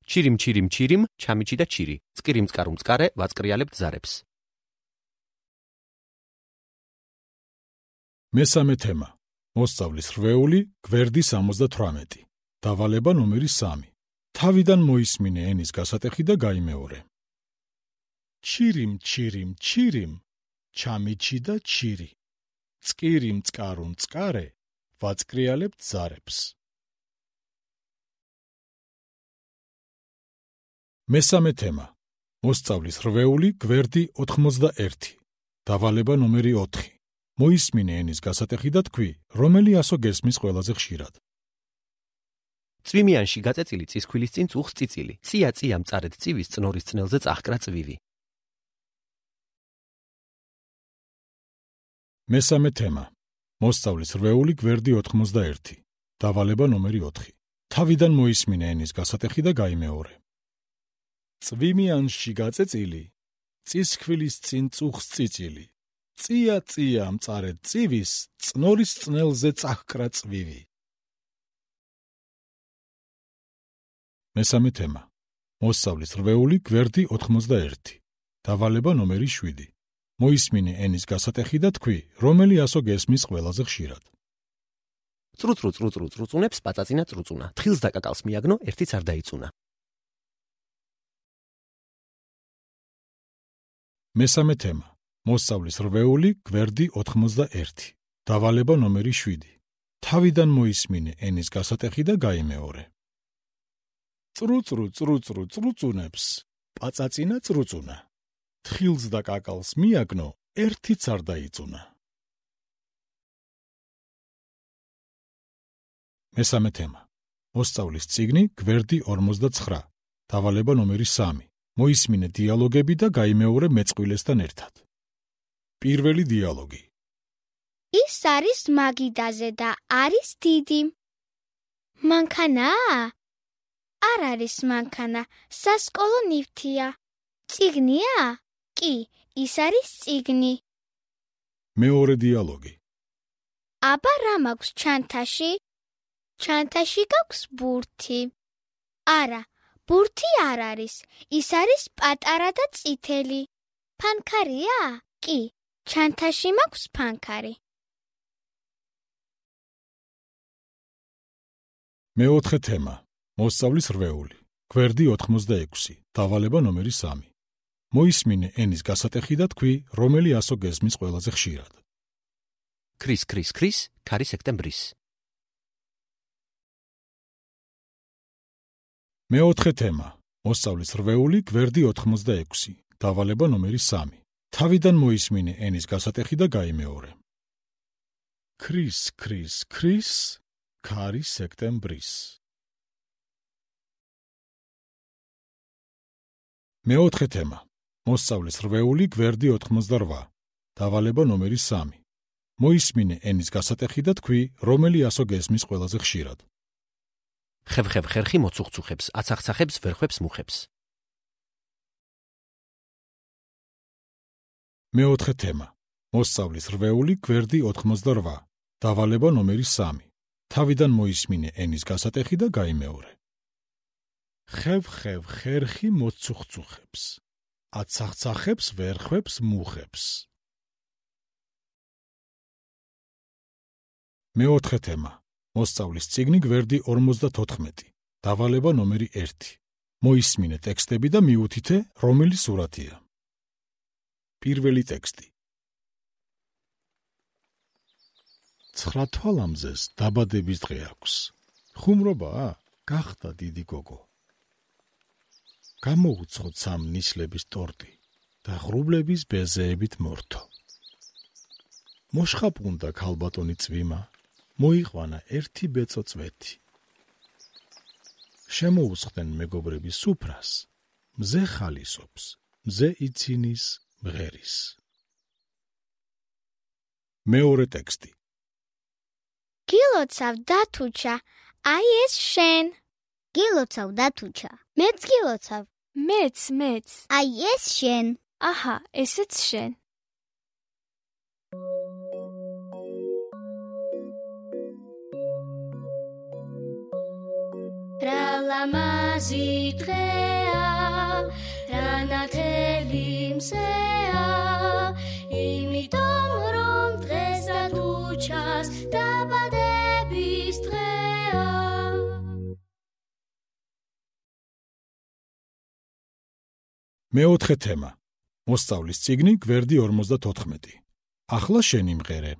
ჩირიმ ჩირიმ ჩირიმ ჩამიჩი და ჩირი. წკირიმ წკარუმ წკარე ვაწკრიალებთ ზარებს. მესამე თემა. მოსწავლის რვეული გვერდი 78. დავალება ნომერი 3. თავიდან მოისმინე ენის გასატეხი და გაიმეორე. ჩირიმ ჩირიმ ჩირიმ ჩამიჩი და ჩირი. წკირიმ წკარუმ წკარე ვაწკრიალებთ ზარებს. მესამე თემა. მოსწავლის რვეული გვერდი 81. დავალება ნომერი 4. მოისმინე ენის გასატეხი და თქვი, რომელი ასო გესმის ყველაზე ხშირად. წვიმიანში გაწეწილი წისქვილის წინ წუხს წიწილი. წია წია მწარედ წივის წნორის წნელზე წახკრა წვივი. მესამე თემა. მოსწავლის რვეული გვერდი 91. დავალება ნომერი 4. თავიდან მოისმინე ენის გასატეხი და გაიმეორე. წვიმიანში გაწეწილი წისქვილის წინ წუხს წიწილი. წია წია მწარედ წივის წნორის წნელზე წახკრა წვივი. მესამე თემა. მოსწავლის რვეული გვერდი 91. დავალება ნომერი 7. მოისმინე ენის გასატეხი და თქვი, რომელი ასო გესმის ყველაზე ხშირად. წრუწრუ წრუწრუ წრუწუნებს პაწაწინა წრუწუნა. თხილს და კაკალს მიაგნო, ერთიც არ დაიწუნა. მესამე თემა. მოსწავლის რვეული გვერდი 91. დავალება ნომერი 7. თავიდან მოისმინე ენის გასატეხი და გაიმეორე. წრუწრუ წრუწრუ წრუწუნებს პაწაწინა წრუწუნა. თხილს და კაკალს მიაგნო, ერთიც არ დაიწუნა. მესამე თემა. მოსწავლის წიგნი გვერდი 49. დავალება ნომერი 3. მოისმინე დიალოგები და გაიმეორე მეწყვილესთან ერთად. პირველი დიალოგი. ის არის მაგიდაზე და არის დიდი. მანქანაა? არ არის მანქანა, სასკოლო ნივთია. წიგნია? კი, ის არის წიგნი. მეორე დიალოგი. აბა რა მაქვს ჩანთაში? ჩანთაში გაქვს ბურთი. არა, ბურთი არ არის, ის არის პატარა და წითელი. ფანქარია? კი, ჩანთაში მაქვს ფანქარი. მეოთხე თემა. მოსწავლის რვეული. გვერდი 86. დავალება ნომერი 3. მოისმინე ენის გასატეხი და თქვი, რომელი ასო გესმის ყველაზე ხშირად. ქრის, ქრის, ქრის, ქარი სექტემბრის. მეოთხე თემა. მოსწავლის რვეული, გვერდი 86. დავალება ნომერი 3. თავიდან მოისმინე ენის გასატეხი და გაიმეორე. ქრის, ქრის, ქრის, ქარი სექტემბრის. მეოთხე თემა. მოსწავლის რვეული, გვერდი 88. დავალება ნომერი 3. მოისმინე ენის გასატეხი და თქვი, რომელი ასო გესმის ყველაზე ხშირად. ხევ-ხევ ხერხი მოცუხცუხებს, აცახცახებს, ვერხვებს, მუხებს. მეოთხე თემა. მოსწავლის რვეული, გვერდი 88. დავალება ნომერი 3. თავიდან მოისმინე ენის გასატეხი და გაიმეორე. ხევ-ხევ ხერხი მოცუხცუხებს, აცახცახებს, ვერხვებს, მუხებს. მეოთხე თემა. მოსწავლის წიგნი გვერდი 54. დავალება ნომერი 1. მოისმინე ტექსტები და მიუთითე, რომელი სურათია. პირველი ტექსტი. 9 თვალამზეს დაბადების დღე აქვს. ხუმრობაა? გახდა დიდი გოგო. გამოუცხოთ 3 ნისლების ტორტი და ღრუბლების ბეზეებით მორთო. მოშხაპუნდა ქალბატონი წვიმა, მოიყვანა 1 ბეწო წვეთი. შემოუსხდნენ მეგობრები სუფრას, მზე ხალისობს, მზე იცინის მღერის. მეორე ტექსტი. გილოცავ დათუჩა, აი ეს შენ. გილოცავ დათუჩა, მეც გილოცავ. მეც. აი ეს შენ. აჰა, ესეც შენ. რა ლამაზი დღეა, რა ნათელი მზეა, იმიტომ რომ დღეს დათუჩას დაბადების დღეა. მეოთხე თემა. მოსწავლის წიგნი გვერდი 54. ახლა შენი მღერე.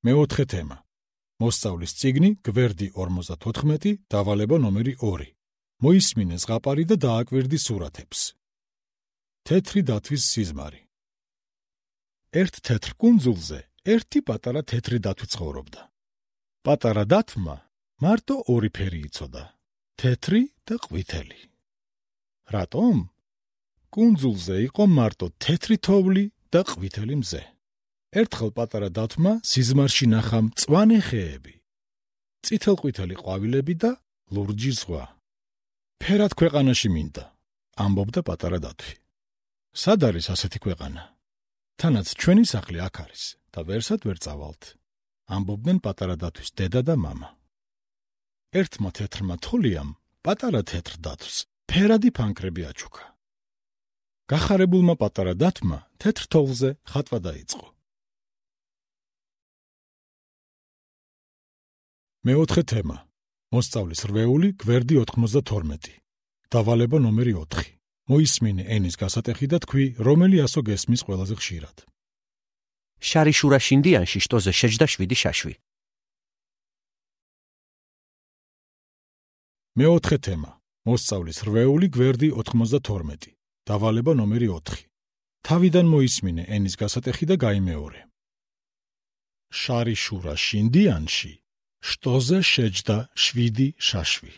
მეოთხე თემა. მოსწავლის წიგნი გვერდი 54. დავალება ნომერი 2. მოისმინე ზღაპარი და დააკვირდი სურათებს. თეთრი დათვის სიზმარი. ერთ თეთრ კუნძულზე ერთი პატარა თეთრი დათვი ცხოვრობდა. პატარა დათვმა მარტო 2 ფერი იცოდა, თეთრი და ყვითელი. რატომ? კუნძულზე იყო მარტო თეთრი თოვლი და ყვითელი მზე. ერთხელ პატარა დათვმა სიზმარში ნახა მწვანე ხეები, წითელ-ყვითელი ყვავილები და ლურჯი ზღვა. ფერად ქვეყანაში მინდა, ამბობდა პატარა დათვი. სად არის ასეთი ქვეყანა? თანაც ჩვენი სახლი აქ არის და ვერსად ვერ წავალთ, ამბობდნენ პატარა დათვის დედა და მამა. ერთმა თეთრმა თოლიამ პატარა თეთრ დათვს ფერადი ფანქრები აჩუქა. გახარებულმა პატარა დათვმა თეთრ თოვლზე ხატვა დაიწყო. მეოთხე თემა. მოსწავლის რვეული გვერდი 92. დავალება ნომერი 4. მოისმინე ენის გასატეხი და თქვი, რომელი ასო გესმის ყველაზე ხშირად. შარი შურა შინდიანში შტოზე შეჯდა 7 შაშვი. მეოთხე თემა. მოსწავლის რვეული გვერდი 92. დავალება ნომერი 4. თავიდან მოისმინე ენის გასატეხი და გაიმეორე. შარი შურა შინდიანში, შტოზე შეჯდა 7 შაშვი.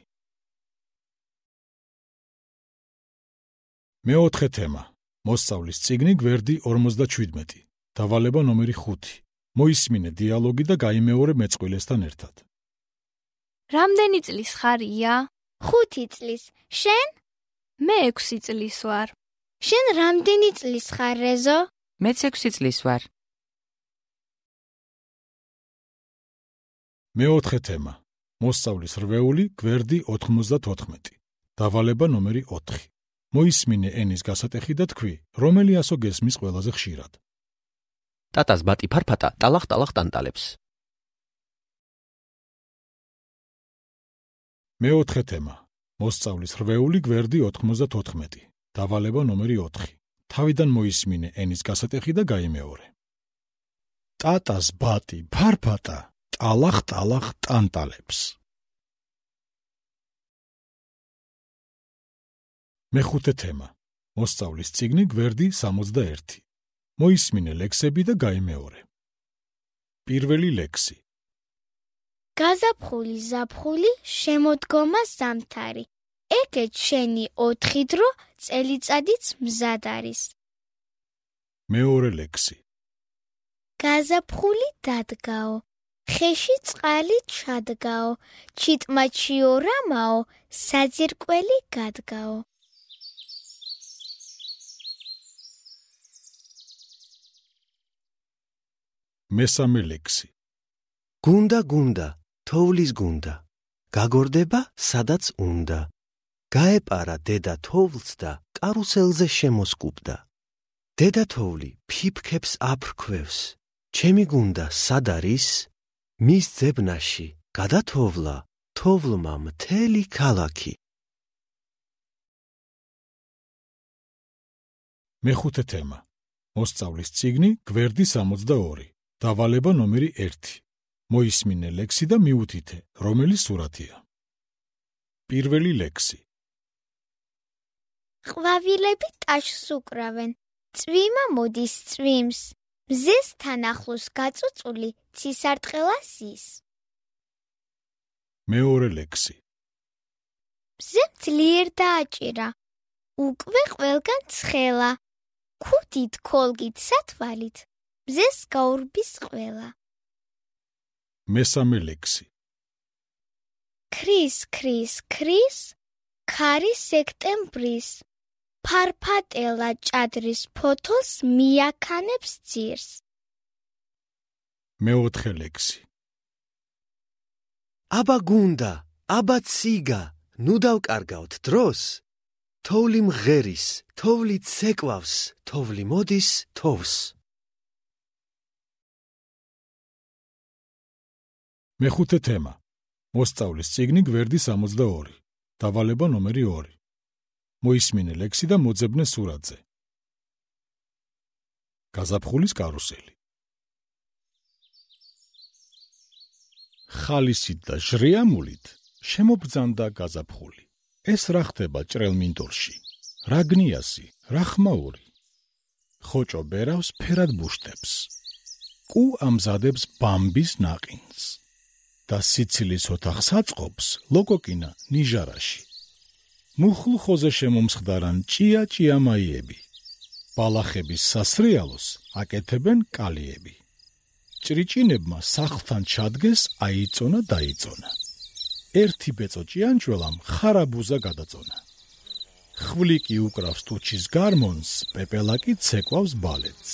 მეოთხე თემა. მოსწავლის წიგნი გვერდი 57. დავალება ნომერი 5. მოისმინე დიალოგი და გაიმეორე მეწყვილესთან ერთად. რამდენი წლის ხარია? 5 წლის. შენ? მე 6 წლის ვარ. შენ რამდენი წლის ხარ, რეზო? მეც 6 წლის ვარ. მეოთხე თემა. მოსწავლის რვეული გვერდი 94. დავალება ნომერი 4. მოისმინე ენის გასატეხი და თქვი, რომელი ასო გესმის ყველაზე ხშირად. ტატას ბატი ფარფატა ტალახ-ტალახ ტანტალებს. მეოთხე თემა. მოსწავლის რვეული გვერდი 94. დავალება ნომერი 4. თავიდან მოისმინე ენის გასატეხი და გაიმეორე. ტატას ბატი ფარფატა ტალახ-ტალახ ტანტალებს. მეხუთე თემა. მოსწავლის წიგნი გვერდი 61. მოისმინე ლექსები და გაიმეორე. პირველი ლექსი. გაზაფხული ზაფხული შემოდგომა ზამთარი. ეგეც შენი 4 დრო წელიწადიც მზად არის. მეორე ლექსი. გაზაფხული დადგაო. ხეში წყალი ჩადგაო. ჩიტმა ჩიორამაო. საძირკველი გადგაო. მესამე ლექსი. გუნდა, თოვლის გუნდა. გაგორდება, სადაც უნდა. გაეპარა დედა თოვლს და კარუსელზე შემოსკუბდა. დედა თოვლი ფიფქებს აფრქვევს. ჩემი გუნდა სად არის? მის ძებნაში გადათოვლა თოვლმა მთელი ქალაქი. მეხუთე თემა. მოსწავლის წიგნი გვერდი 62. დავალება ნომერი 1. მოისმინე ლექსი და მიუთითე, რომელი სურათია. პირველი ლექსი. ყვავილები ტაშს უკრავენ. წვიმა მოდის წვიმს. მზესთან ახლოს გაწუწული ცისარტყელა ზის. მეორე ლექსი. მზე ძლიერ დააჭირა. უკვე ყველგან ცხელა. ქუდით ქოლგით სათვალით. მზეს გაურბის ყველა. მესამე ლექსი. ქრის ქარი სექტემბრის. ფარფატელა ჭადრის ფოთოლს მიაქანებს ძირს. მეოთხე ლექსი. აბა გუნდა, აბა ციგა, ნუ დავკარგავთ დროს. თოვლი მღერის, თოვლი ცეკვავს, თოვლი მოდის თოვს. მეხუთე თემა. მოსწავლის წიგნი გვერდი 62. დავალება ნომერი 2. მოისმინე ლექსი და მოძებნე სურათზე. გაზაფხულის კარუსელი. ხალისით და ჟრიამულით შემობრძანდა გაზაფხული. ეს რა ხდება ჭრელმინდორში? რა გნიასი, რა ხმაური? ხოჭო ბერავს ფერად ბუშტებს. კუ ამზადებს ბამბის ნაყინს. და სიცილის ოთახს აწყობს ლოკოკინა ნიჟარაში. მუხლ ხოზე შემომსხდარან ჭია-ჭიამაიები. ბალახების სასრიალოს აკეთებენ კალიები. ჭრიჭინებმა სახლთან ჩადგეს აიწონა დაიწონა. ერთი ბეწო ჭიანჭველამ ხარაბუზა გადაწონა. ხვლიკი უკრავს ტუჩის გარმონს, პეპელაკი ცეკვავს ბალეტს.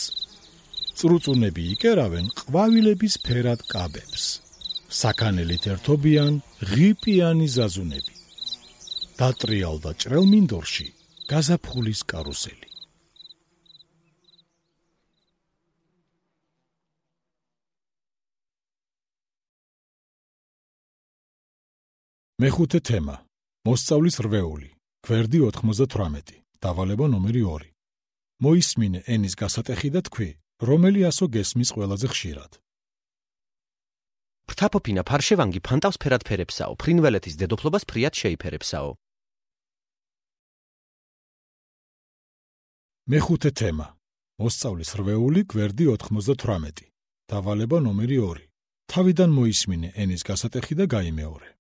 წრუწუნები იკერავენ ყვავილების ფერად კაბებს. საქანელით ერთობიან ღიპიანი ზაზუნები. დატრიალდა ჭრელმინდორში გაზაფხულის კარუსელი. მეხუთე თემა. მოსწავლის რვეული. გვერდი 98. დავალება ნომერი 2. მოისმინე ენის გასატეხი და თქვი, რომელი ასო გესმის ყველაზე ხშირად. ფრთაფოფინა ფარშევანგი ფანტავს ფერად ფერებსაო, ფრინველეთის დედოფლობას ფრიად შეიფერებსაო. მეხუთე თემა. მოსწავლის რვეული გვერდი 98. დავალება ნომერი 2. თავიდან მოისმინე ენის გასატეხი და გაიმეორე.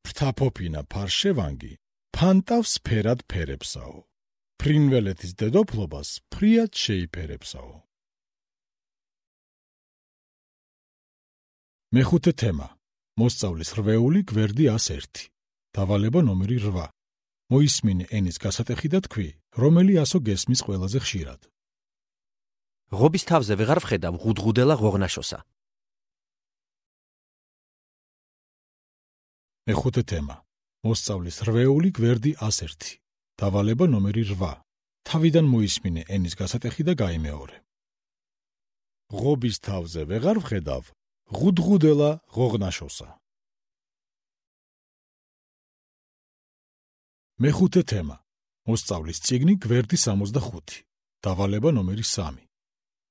ფრთაფოფინა ფარშევანგი ფანტავს ფერად ფერებსაო. ფრინველეთის დედოფლობას ფრიად შეიფერებსაო. მეხუთე თემა. მოსწავლის რვეული გვერდი 101. დავალება ნომერი 8. მოისმინე ენის გასატეხი და თქვი, რომელი ასო გესმის ყველაზე ხშირად. ღობის თავზე ვეღარ ვხედავ ღუდღუდელა ღოღნაშოსა. მეხუთე თემა. მოსწავლის რვეული გვერდი 101. დავალება ნომერი 8. თავიდან მოისმინე ენის გასატეხი და გაიმეორე. ღობის თავზე ვეღარ ვხედავ ღუდღუდელა ღოღნაშოსა. მეხუთე თემა. მოსწავლის წიგნი გვერდი 65. დავალება ნომერი 3.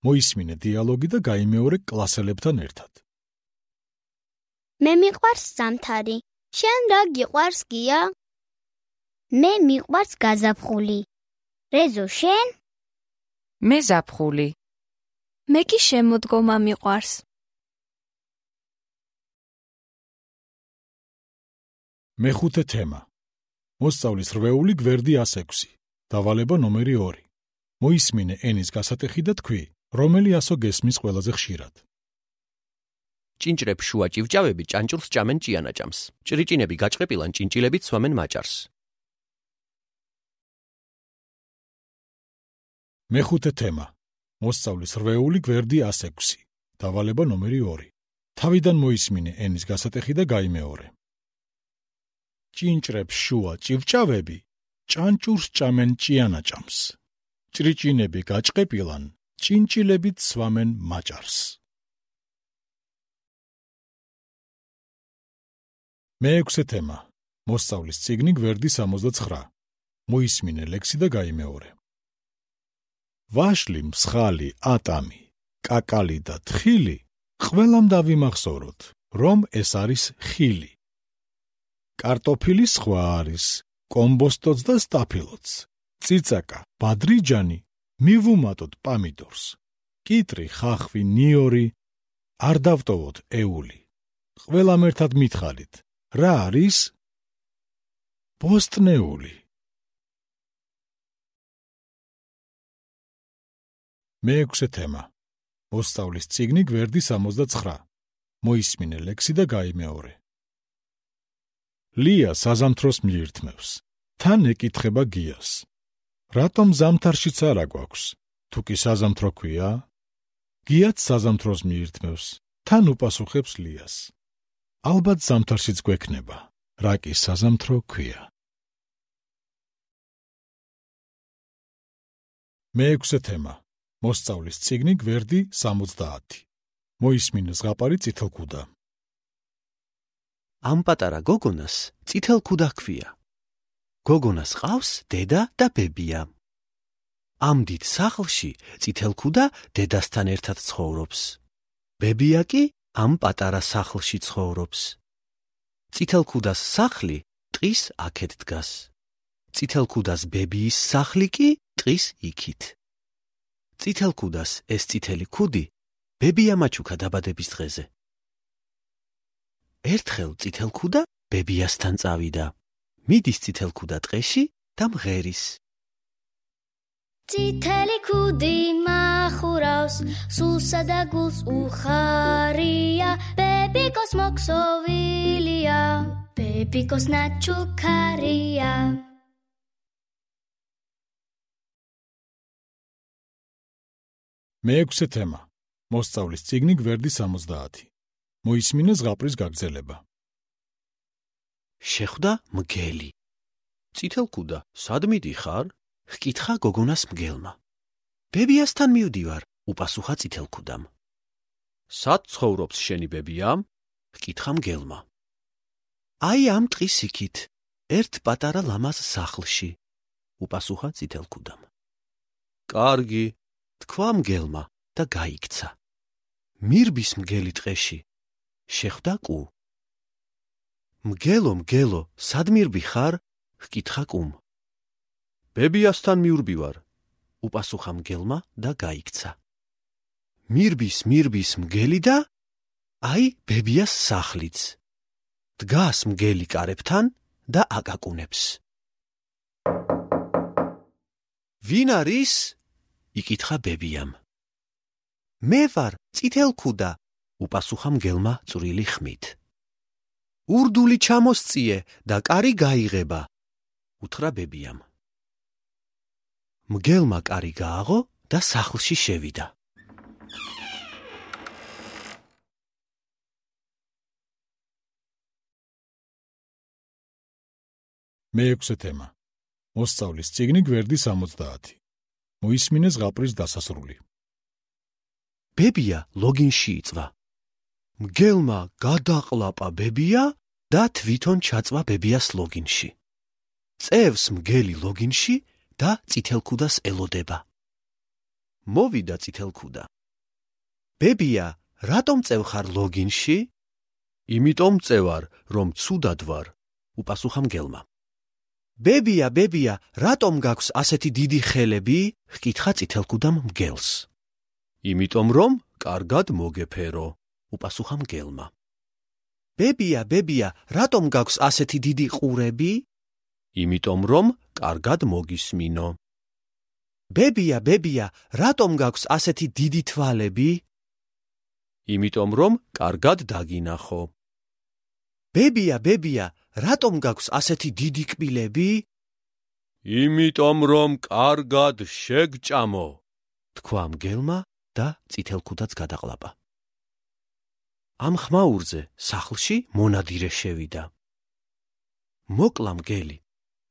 მოისმინე დიალოგი და გაიმეორე კლასელებთან ერთად. მე მიყვარს ზამთარი. შენ რა გიყვარს გია? მე მიყვარს გაზაფხული. რეზო შენ? მე ზაფხული. მე კი შემოდგომა მიყვარს. მეხუთე თემა. მოსწავლის რვეული გვერდი 106. დავალება ნომერი 2. მოისმინე ენის გასატეხი და თქვი, რომელი ასო გესმის ყველაზე ხშირად. ჭინჭრებს შუა ჭივჭავები ჭანჭურს ჭამენ ჭიანაჭამს. ჭრიჭინები გაჭყეპილან ჭინჭილებით სვამენ მაჭარს. მეხუთე თემა. მოსწავლის რვეული გვერდი 106. დავალება ნომერი 2. თავიდან მოისმინე ენის გასატეხი და გაიმეორე. ჭინჭრებს შუა ჭივჭავები ჭანჭურს ჭამენ ჭიანაჭამს. ჭრიჭინები გაჭყეპილან ჭინჭილებით სვამენ მაჭარს. მეექვსე თემა. მოსწავლის წიგნი გვერდი 69. მოისმინე ლექსი და გაიმეორე. ვაშლი, მსხალი, ატამი, კაკალი და თხილი ყველამ დავიმახსოვროთ, რომ ეს არის ხილი. კარტოფილი სხვა არის, კომბოსტოც და სტაფილოც. წიწაკა, ბადრიჯანი, მივუმატოთ პამიდორს. კიტრი, ხახვი, ნიორი, არ დავტოვოთ ეული. ყველამ ერთად მითხარით, რა არის? ბოსტნეული. მეექვსე თემა. მოსწავლის წიგნი გვერდი 69. მოისმინე ლექსი და გაიმეორე. ლია საზამთროს მიირთმევს. თან ეკითხება გიას. რატომ ზამთარშიც არა გვაქვს? თუ კი საზამთრო ქვია? გიაც საზამთროს მიირთმევს. თან უპასუხებს ლიას. ალბათ ზამთარშიც გვექნება. რა კი საზამთრო ქვია. მეექვსე თემა. მოსწავლის წიგნი გვერდი 70. მოისმინე ზღაპარი წითელქუდა. ამ პატარა გოგონას წითელქუდა ჰქვია. გოგონას ყავს დედა და ბებია. ამ დიდ სახლში წითელქუდა დედასთან ერთად ცხოვრობს. ბებია კი ამ პატარა სახლში ცხოვრობს. წითელქუდას სახლი ტყის აქეთ დგას. წითელქუდას ბებიის სახლი კი ტყის იქით. წითელქუდას ეს წითელი ქუდი ბებია მაჩუქა დაბადების დღეზე. ერთხელ წითელქუდა ბებიასთან წავიდა. მიდის წითელქუდა ტყეში და მღერის. წითელი ქუდი მახურავს, სულსა და გულს უხარია, ბებიკოს მოქსოვილია, ბებიკოს ნაჩუქარია. მეექვსე თემა. მოსწავლის წიგნი გვერდი 70. მოისმინე ზღაპრის გაგრძელება. შეხვდა მგელი. წითელქუდა, სად მიდიხარ? ჰკითხა გოგონას მგელმა. ბებიასთან მივდივარ, უპასუხა წითელქუდამ. სად ცხოვრობს შენი ბებია? ჰკითხა მგელმა. აი ამ ტყის იქით, ერთ პატარა ლამაზ სახლში, უპასუხა წითელქუდამ. კარგი, თქვა მგელმა და გაიქცა. მირბის მგელი ტყეში შეხვდა კუ. მგელო, მგელო, სად მირბი ხარ? ჰკითხა კუმ. ბებიასთან მიურბივარ, უპასუხა მგელმა და გაიქცა. მირბის მგელი და აი ბებიას სახლიც. დგას მგელი კარებთან და აკაკუნებს. ვინ არის? იკითხა ბებიამ. მე ვარ, წითელქუდა, უპასუხა მგელმა წვრილი ხმით. ურდული ჩამოსწიე და კარი გაიღება, უთხრა ბებიამ. მგელმა კარი გააღო და სახლში შევიდა. მეექვსე თემა. მოსწავლის წიგნი გვერდი 70. მოისმინე ზღაპრის დასასრული. ბებია ლოგინში იწვა. მგელმა გადაყლაპა ბებია და თვითონ ჩაწვა ბებიას ლოგინში. წევს მგელი ლოგინში და წითელქუდას ელოდება. მოვიდა წითელქუდა. ბებია, რატომ წევხარ ლოგინში? იმიტომ წევარ, რომ ცუდად ვარ, უპასუხა მგელმა. ბებია, რატომ გაქვს ასეთი დიდი ხელები? ჰკითხა წითელქუდამ მგელს. იმიტომ რომ კარგად მოგეფერო, უპასუხა მგელმა. ბებია, რატომ გაქვს ასეთი დიდი ყურები? იმიტომ რომ კარგად მოგისმინო. ბებია, რატომ გაქვს ასეთი დიდი თვალები? იმიტომ რომ კარგად დაგინახო. ბებია, რატომ გაქვს ასეთი დიდი კბილები? იმიტომ რომ კარგად შეგჭამო, თქვა მგელმა და წითელქუდაც გადაყლაპა. ამ ხმაურზე სახლში მონადირე შევიდა. მოკლა მგელი,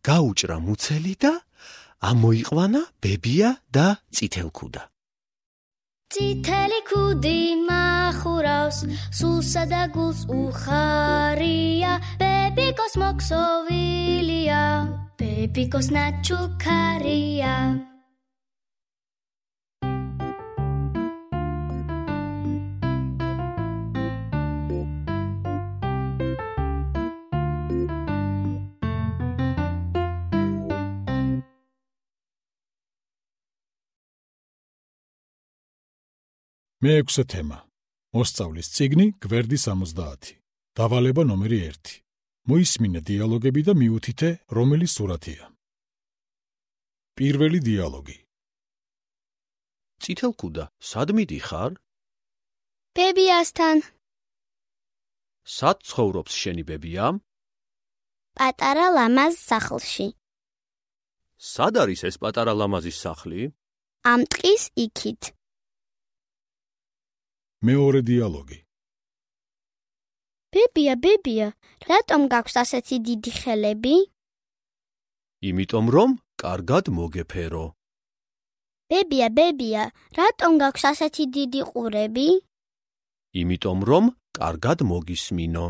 გაუჭრა მუცელი და ამოიყვანა ბებია და წითელქუდა. წითელი ქუდი მახურავს, სულსა და გულს უხარია, ბებიკოს მოქსოვილია, ბებიკოს ნაჩუქარია. მეექვსე თემა. მოსწავლის წიგნი გვერდი 70. დავალება ნომერი 1. მოისმინე დიალოგები და მიუთითე, რომელი სურათია. პირველი დიალოგი. წითელქუდა, სად მიდიხარ? ბებიასთან. სად ცხოვრობს შენი ბებია? პატარა ლამაზ სახლში. სად არის ეს პატარა ლამაზის სახლი? ამ ტყის იქით. მეორე დიალოგი. ბებია, რატომ გაქვს ასეთი დიდი ხელები? იმიტომ რომ კარგად მოგეფერო. ბებია, რატომ გაქვს ასეთი დიდი ყურები? იმიტომ რომ კარგად მოგისმინო.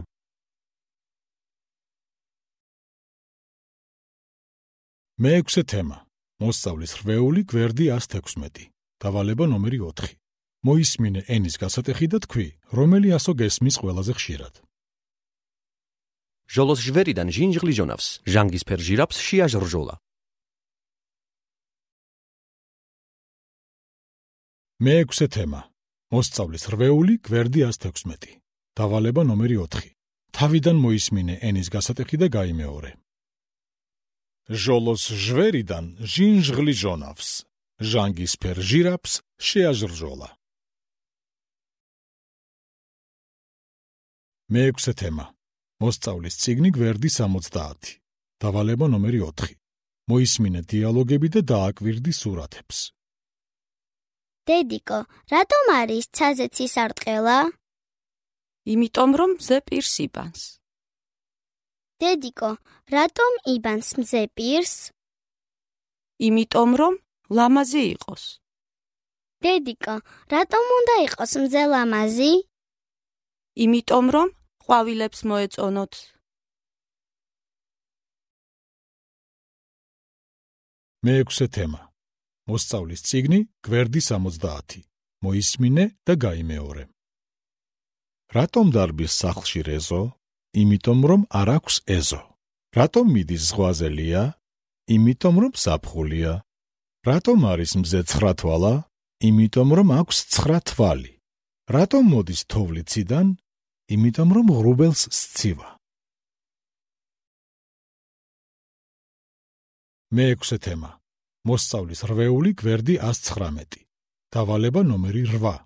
მეექვსე თემა. მოსწავლის რვეული გვერდი 116. დავალება ნომერი 4. მოისმინე ენის გასატეხი და თქვი, რომელი ასო გესმის ყველაზე ხშირად. ჟოლოს ჟვერიდან ჟინჟღლი ჟონავს, ჟანგისფერ ჟირაფს შეაჟრჟოლა. მეექვსე თემა. მოსწავლის რვეული გვერდი 116. დავალება ნომერი 4. თავიდან მოისმინე ენის გასატეხი და გაიმეორე. ჟოლოს ჟვერიდან ჟინჟღლი ჟონავს, ჟანგისფერ ჟირაფს შეაჟრჟოლა. მეექვსე თემა. მოსწავლის წიგნი გვერდი 70. დავალება ნომერი 4. მოისმინე დიალოგები და დააკვირდი სურათებს. დედიკო, რატომ არის ცაზე ცისარტყელა? იმიტომ რომ მზე პირს იბანს. დედიკო, რატომ იბანს მზე პირს? იმიტომ რომ ლამაზი იყოს. დედიკო, რატომ უნდა იყოს მზე ლამაზი? იმიტომ რომ ყვავილებს მოეწონოთ. მეექვსე თემა. მოსწავლის წიგნი გვერდი 70. მოისმინე და გაიმეორე. რატომ დარბის სახლში რეზო? იმიტომ რომ არ აქვს ეზო. რატომ მიდის ზღვაზე ლია? იმიტომ რომ ზაფხულია. რატომ არის მზე 9 თვალა? იმიტომ რომ აქვს 9 თვალი. რატომ მოდის თოვლი ციდან? იმიტომ რომ ღრუბელს სცივა. მეექვსე თემა. მოსწავლის რვეული გვერდი 119. დავალება ნომერი 8.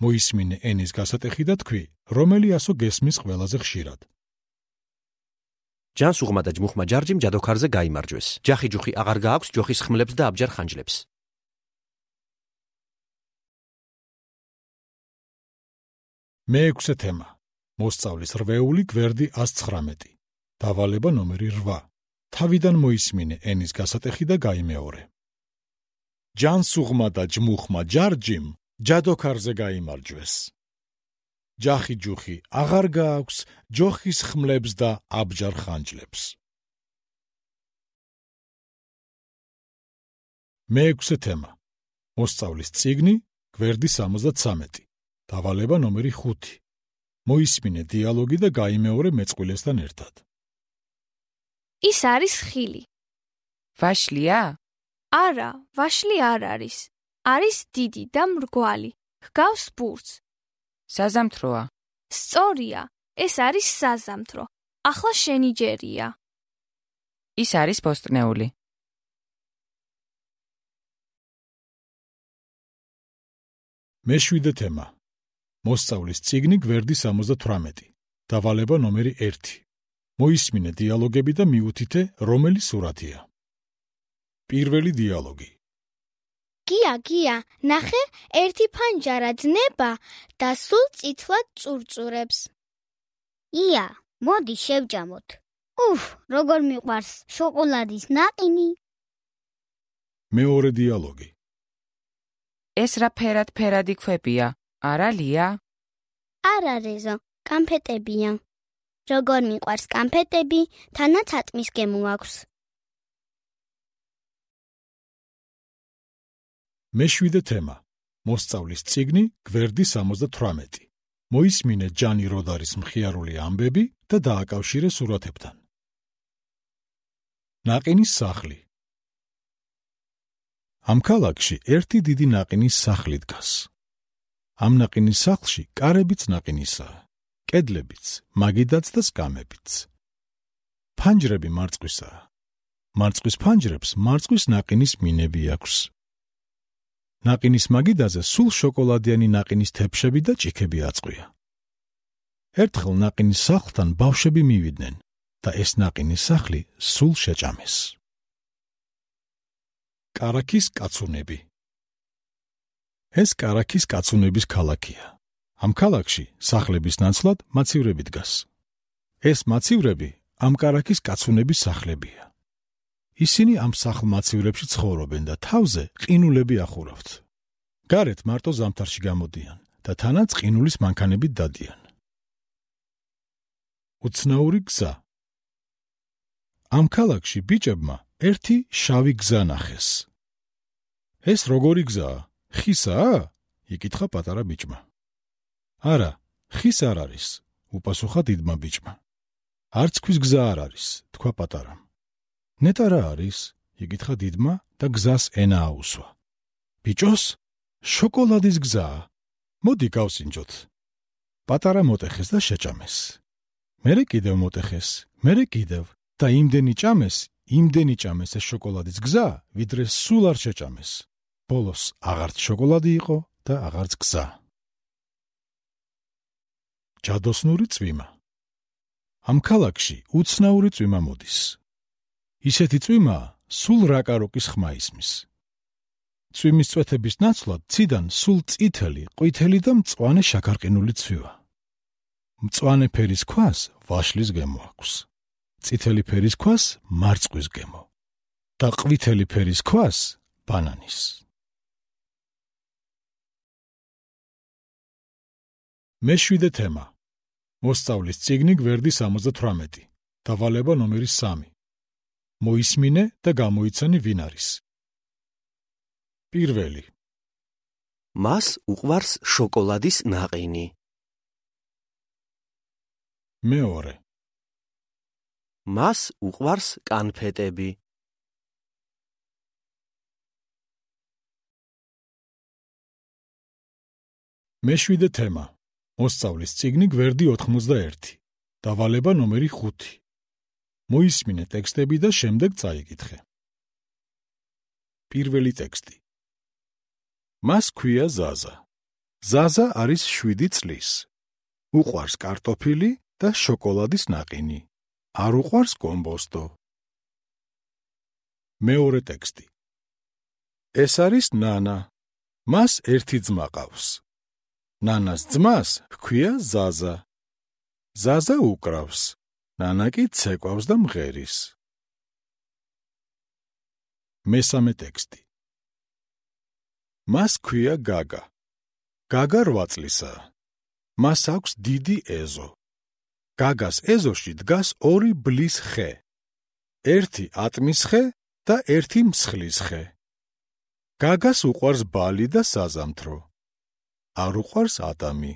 მოისმინე ენის გასატეხი და თქვი, რომელი ასო გესმის ყველაზე ხშირად. ჯანს უღმა და ჯმუხმა ჯარჯიმ ჯადოქარზე გაიმარჯვეს. ჯახი-ჯუხი აღარ გააქვს ჯოხის ხმლებს და აბჯარ ხანჯლებს. მეექვსე თემა. მოსწავლის რვეული გვერდი 119. დავალება ნომერი 8. თავიდან მოისმინე ენის გასატეხი და გაიმეორე. ჯანს უღმა და ჯმუხმა ჯარჯიმ ჯადოქარზე გაიმარჯვეს. ჯახი-ჯუხი აღარ გააქვს ჯოხის ხმლებს და აბჯარ ხანჯლებს. მეექვსე თემა. მოსწავლის წიგნი გვერდი 73. დავალება ნომერი 5. მოისმინე დიალოგი და გაიმეორე მეწყვილესთან ერთად. ის არის ხილი. ვაშლია? არა, ვაშლი არ არის. არის დიდი და მრგვალი. ჰგავს ბურთს. საზამთროა. სწორია, ეს არის საზამთრო. ახლა შენი ჯერია. ის არის ბოსტნეული. მეშვიდე თემა. მოსწავლის წიგნი გვერდი 78. დავალება ნომერი 1. მოისმინე დიალოგები და მიუთითე, რომელი სურათია. პირველი დიალოგი. გია, ნახე, ერთი ფანჯარა ძნება და სულ წითლად წურწურებს. ია, მოდი შევჯამოთ. როგორ მიყვარს შოკოლადის ნაყინი. მეორე დიალოგი. ეს რა ფერადი ქვებია? არა ლია? არა რეზო, კანფეტებია. როგორ მიყვარს კანფეტები, თანაც ატმის გემო აქვს. მეშვიდე თემა. მოსწავლის წიგნი გვერდი 78. მოისმინე ჯანი როდარის მხიარული ამბები და დააკავშირე სურათებთან. ნაყინის სახლი. ამ ქალაქში ერთი დიდი ნაყინის სახლი დგას. ამ ნაყინის სახლში კარებიც ნაყინისაა, კედლებიც, მაგიდაც და სკამებიც. ფანჯრები მარწყვისაა. მარწყვის ფანჯრებს მარწყვის ნაყინის მინები აქვს. ნაყინის მაგიდაზე სულ შოკოლადიანი ნაყინის თეფშები და ჭიქები აწყვია. ერთხელ ნაყინის სახლთან ბავშვები მივიდნენ და ეს ნაყინის სახლი სულ შეჭამეს. კარაქის კაცუნები. ეს კარაქის კაცუნების ქალაქია. ამ ქალაქში სახლების ნაცვლად მაცივრები დგას. ეს მაცივრები ამ კარაქის კაცუნების სახლებია. ისინი ამ სახლ-მაცივრებში ცხოვრობენ და თავზე ყინულები ახურავთ. გარეთ მარტო ზამთარში გამოდიან და თანაც ყინულის მანქანებით დადიან. უცნაური გზა. ამ ქალაქში ბიჭებმა ერთი შავი გზა ნახეს. ეს როგორი გზაა? ხისაა? იკითხა პატარა ბიჭმა. არა, ხის არ არის, უპასუხა დიდმა ბიჭმა. არც ქვის გზა არ არის, თქვა პატარამ. ნეტა რა არის? იკითხა დიდმა და გზას ენა აუსვა. ბიჭოს, შოკოლადის გზაა. მოდი გავსინჯოთ. პატარა მოტეხეს და შეჭამეს. მერე კიდევ მოტეხეს, მერე კიდევ და იმდენი ჭამეს ეს შოკოლადის გზა, ვიდრე სულ არ შეჭამეს. ბოლოს აღარც შოკოლადი იყო და აღარც გზა. ჯადოსნური წვიმა. ამ ქალაქში უცნაური წვიმა მოდის. ისეთი წვიმა სულ რაკაროკის ხმა ისმის. წვიმის წვეთების ნაცვლად ციდან სულ წითელი, ყვითელი და მწვანე შაქარყინული ცვივა. მწვანე ფერის ქვას ვაშლის გემო აქვს. წითელი ფერის ქვას მარწყვის გემო და ყვითელი ფერის ქვას ბანანის. მეშვიდე თემა. მოსწავლის წიგნი გვერდი 78. დავალება ნომერი 3. მოისმინე და გამოიცანი ვინ არის. პირველი. მას უყვარს შოკოლადის ნაყინი. მეორე. მას უყვარს კანფეტები. მეშვიდე თემა. მოსწავლის წიგნი გვერდი 91. დავალება ნომერი 5. მოისმინე ტექსტები და შემდეგ წაიკითხე. პირველი ტექსტი. მას ქვია ზაზა. ზაზა არის 7 წლის. უყვარს კარტოფილი და შოკოლადის ნაყინი. არ უყვარს კომბოსტო. მეორე ტექსტი. ეს არის ნანა. მას ერთი ძმა ყავს. ნანას ძმას ჰქვია ზაზა. ზაზა უკრავს. ნანა კი ცეკვავს და მღერის. მესამე ტექსტი. მას ქვია გაგა. გაგა 8 წლისაა. მას აქვს დიდი ეზო. გაგას ეზოში დგას 2 ბლის ხე. ერთი ატმის ხე და ერთი მსხლის ხე. გაგას უყვარს ბალი და საზამთრო. არ უყვარს ატამი.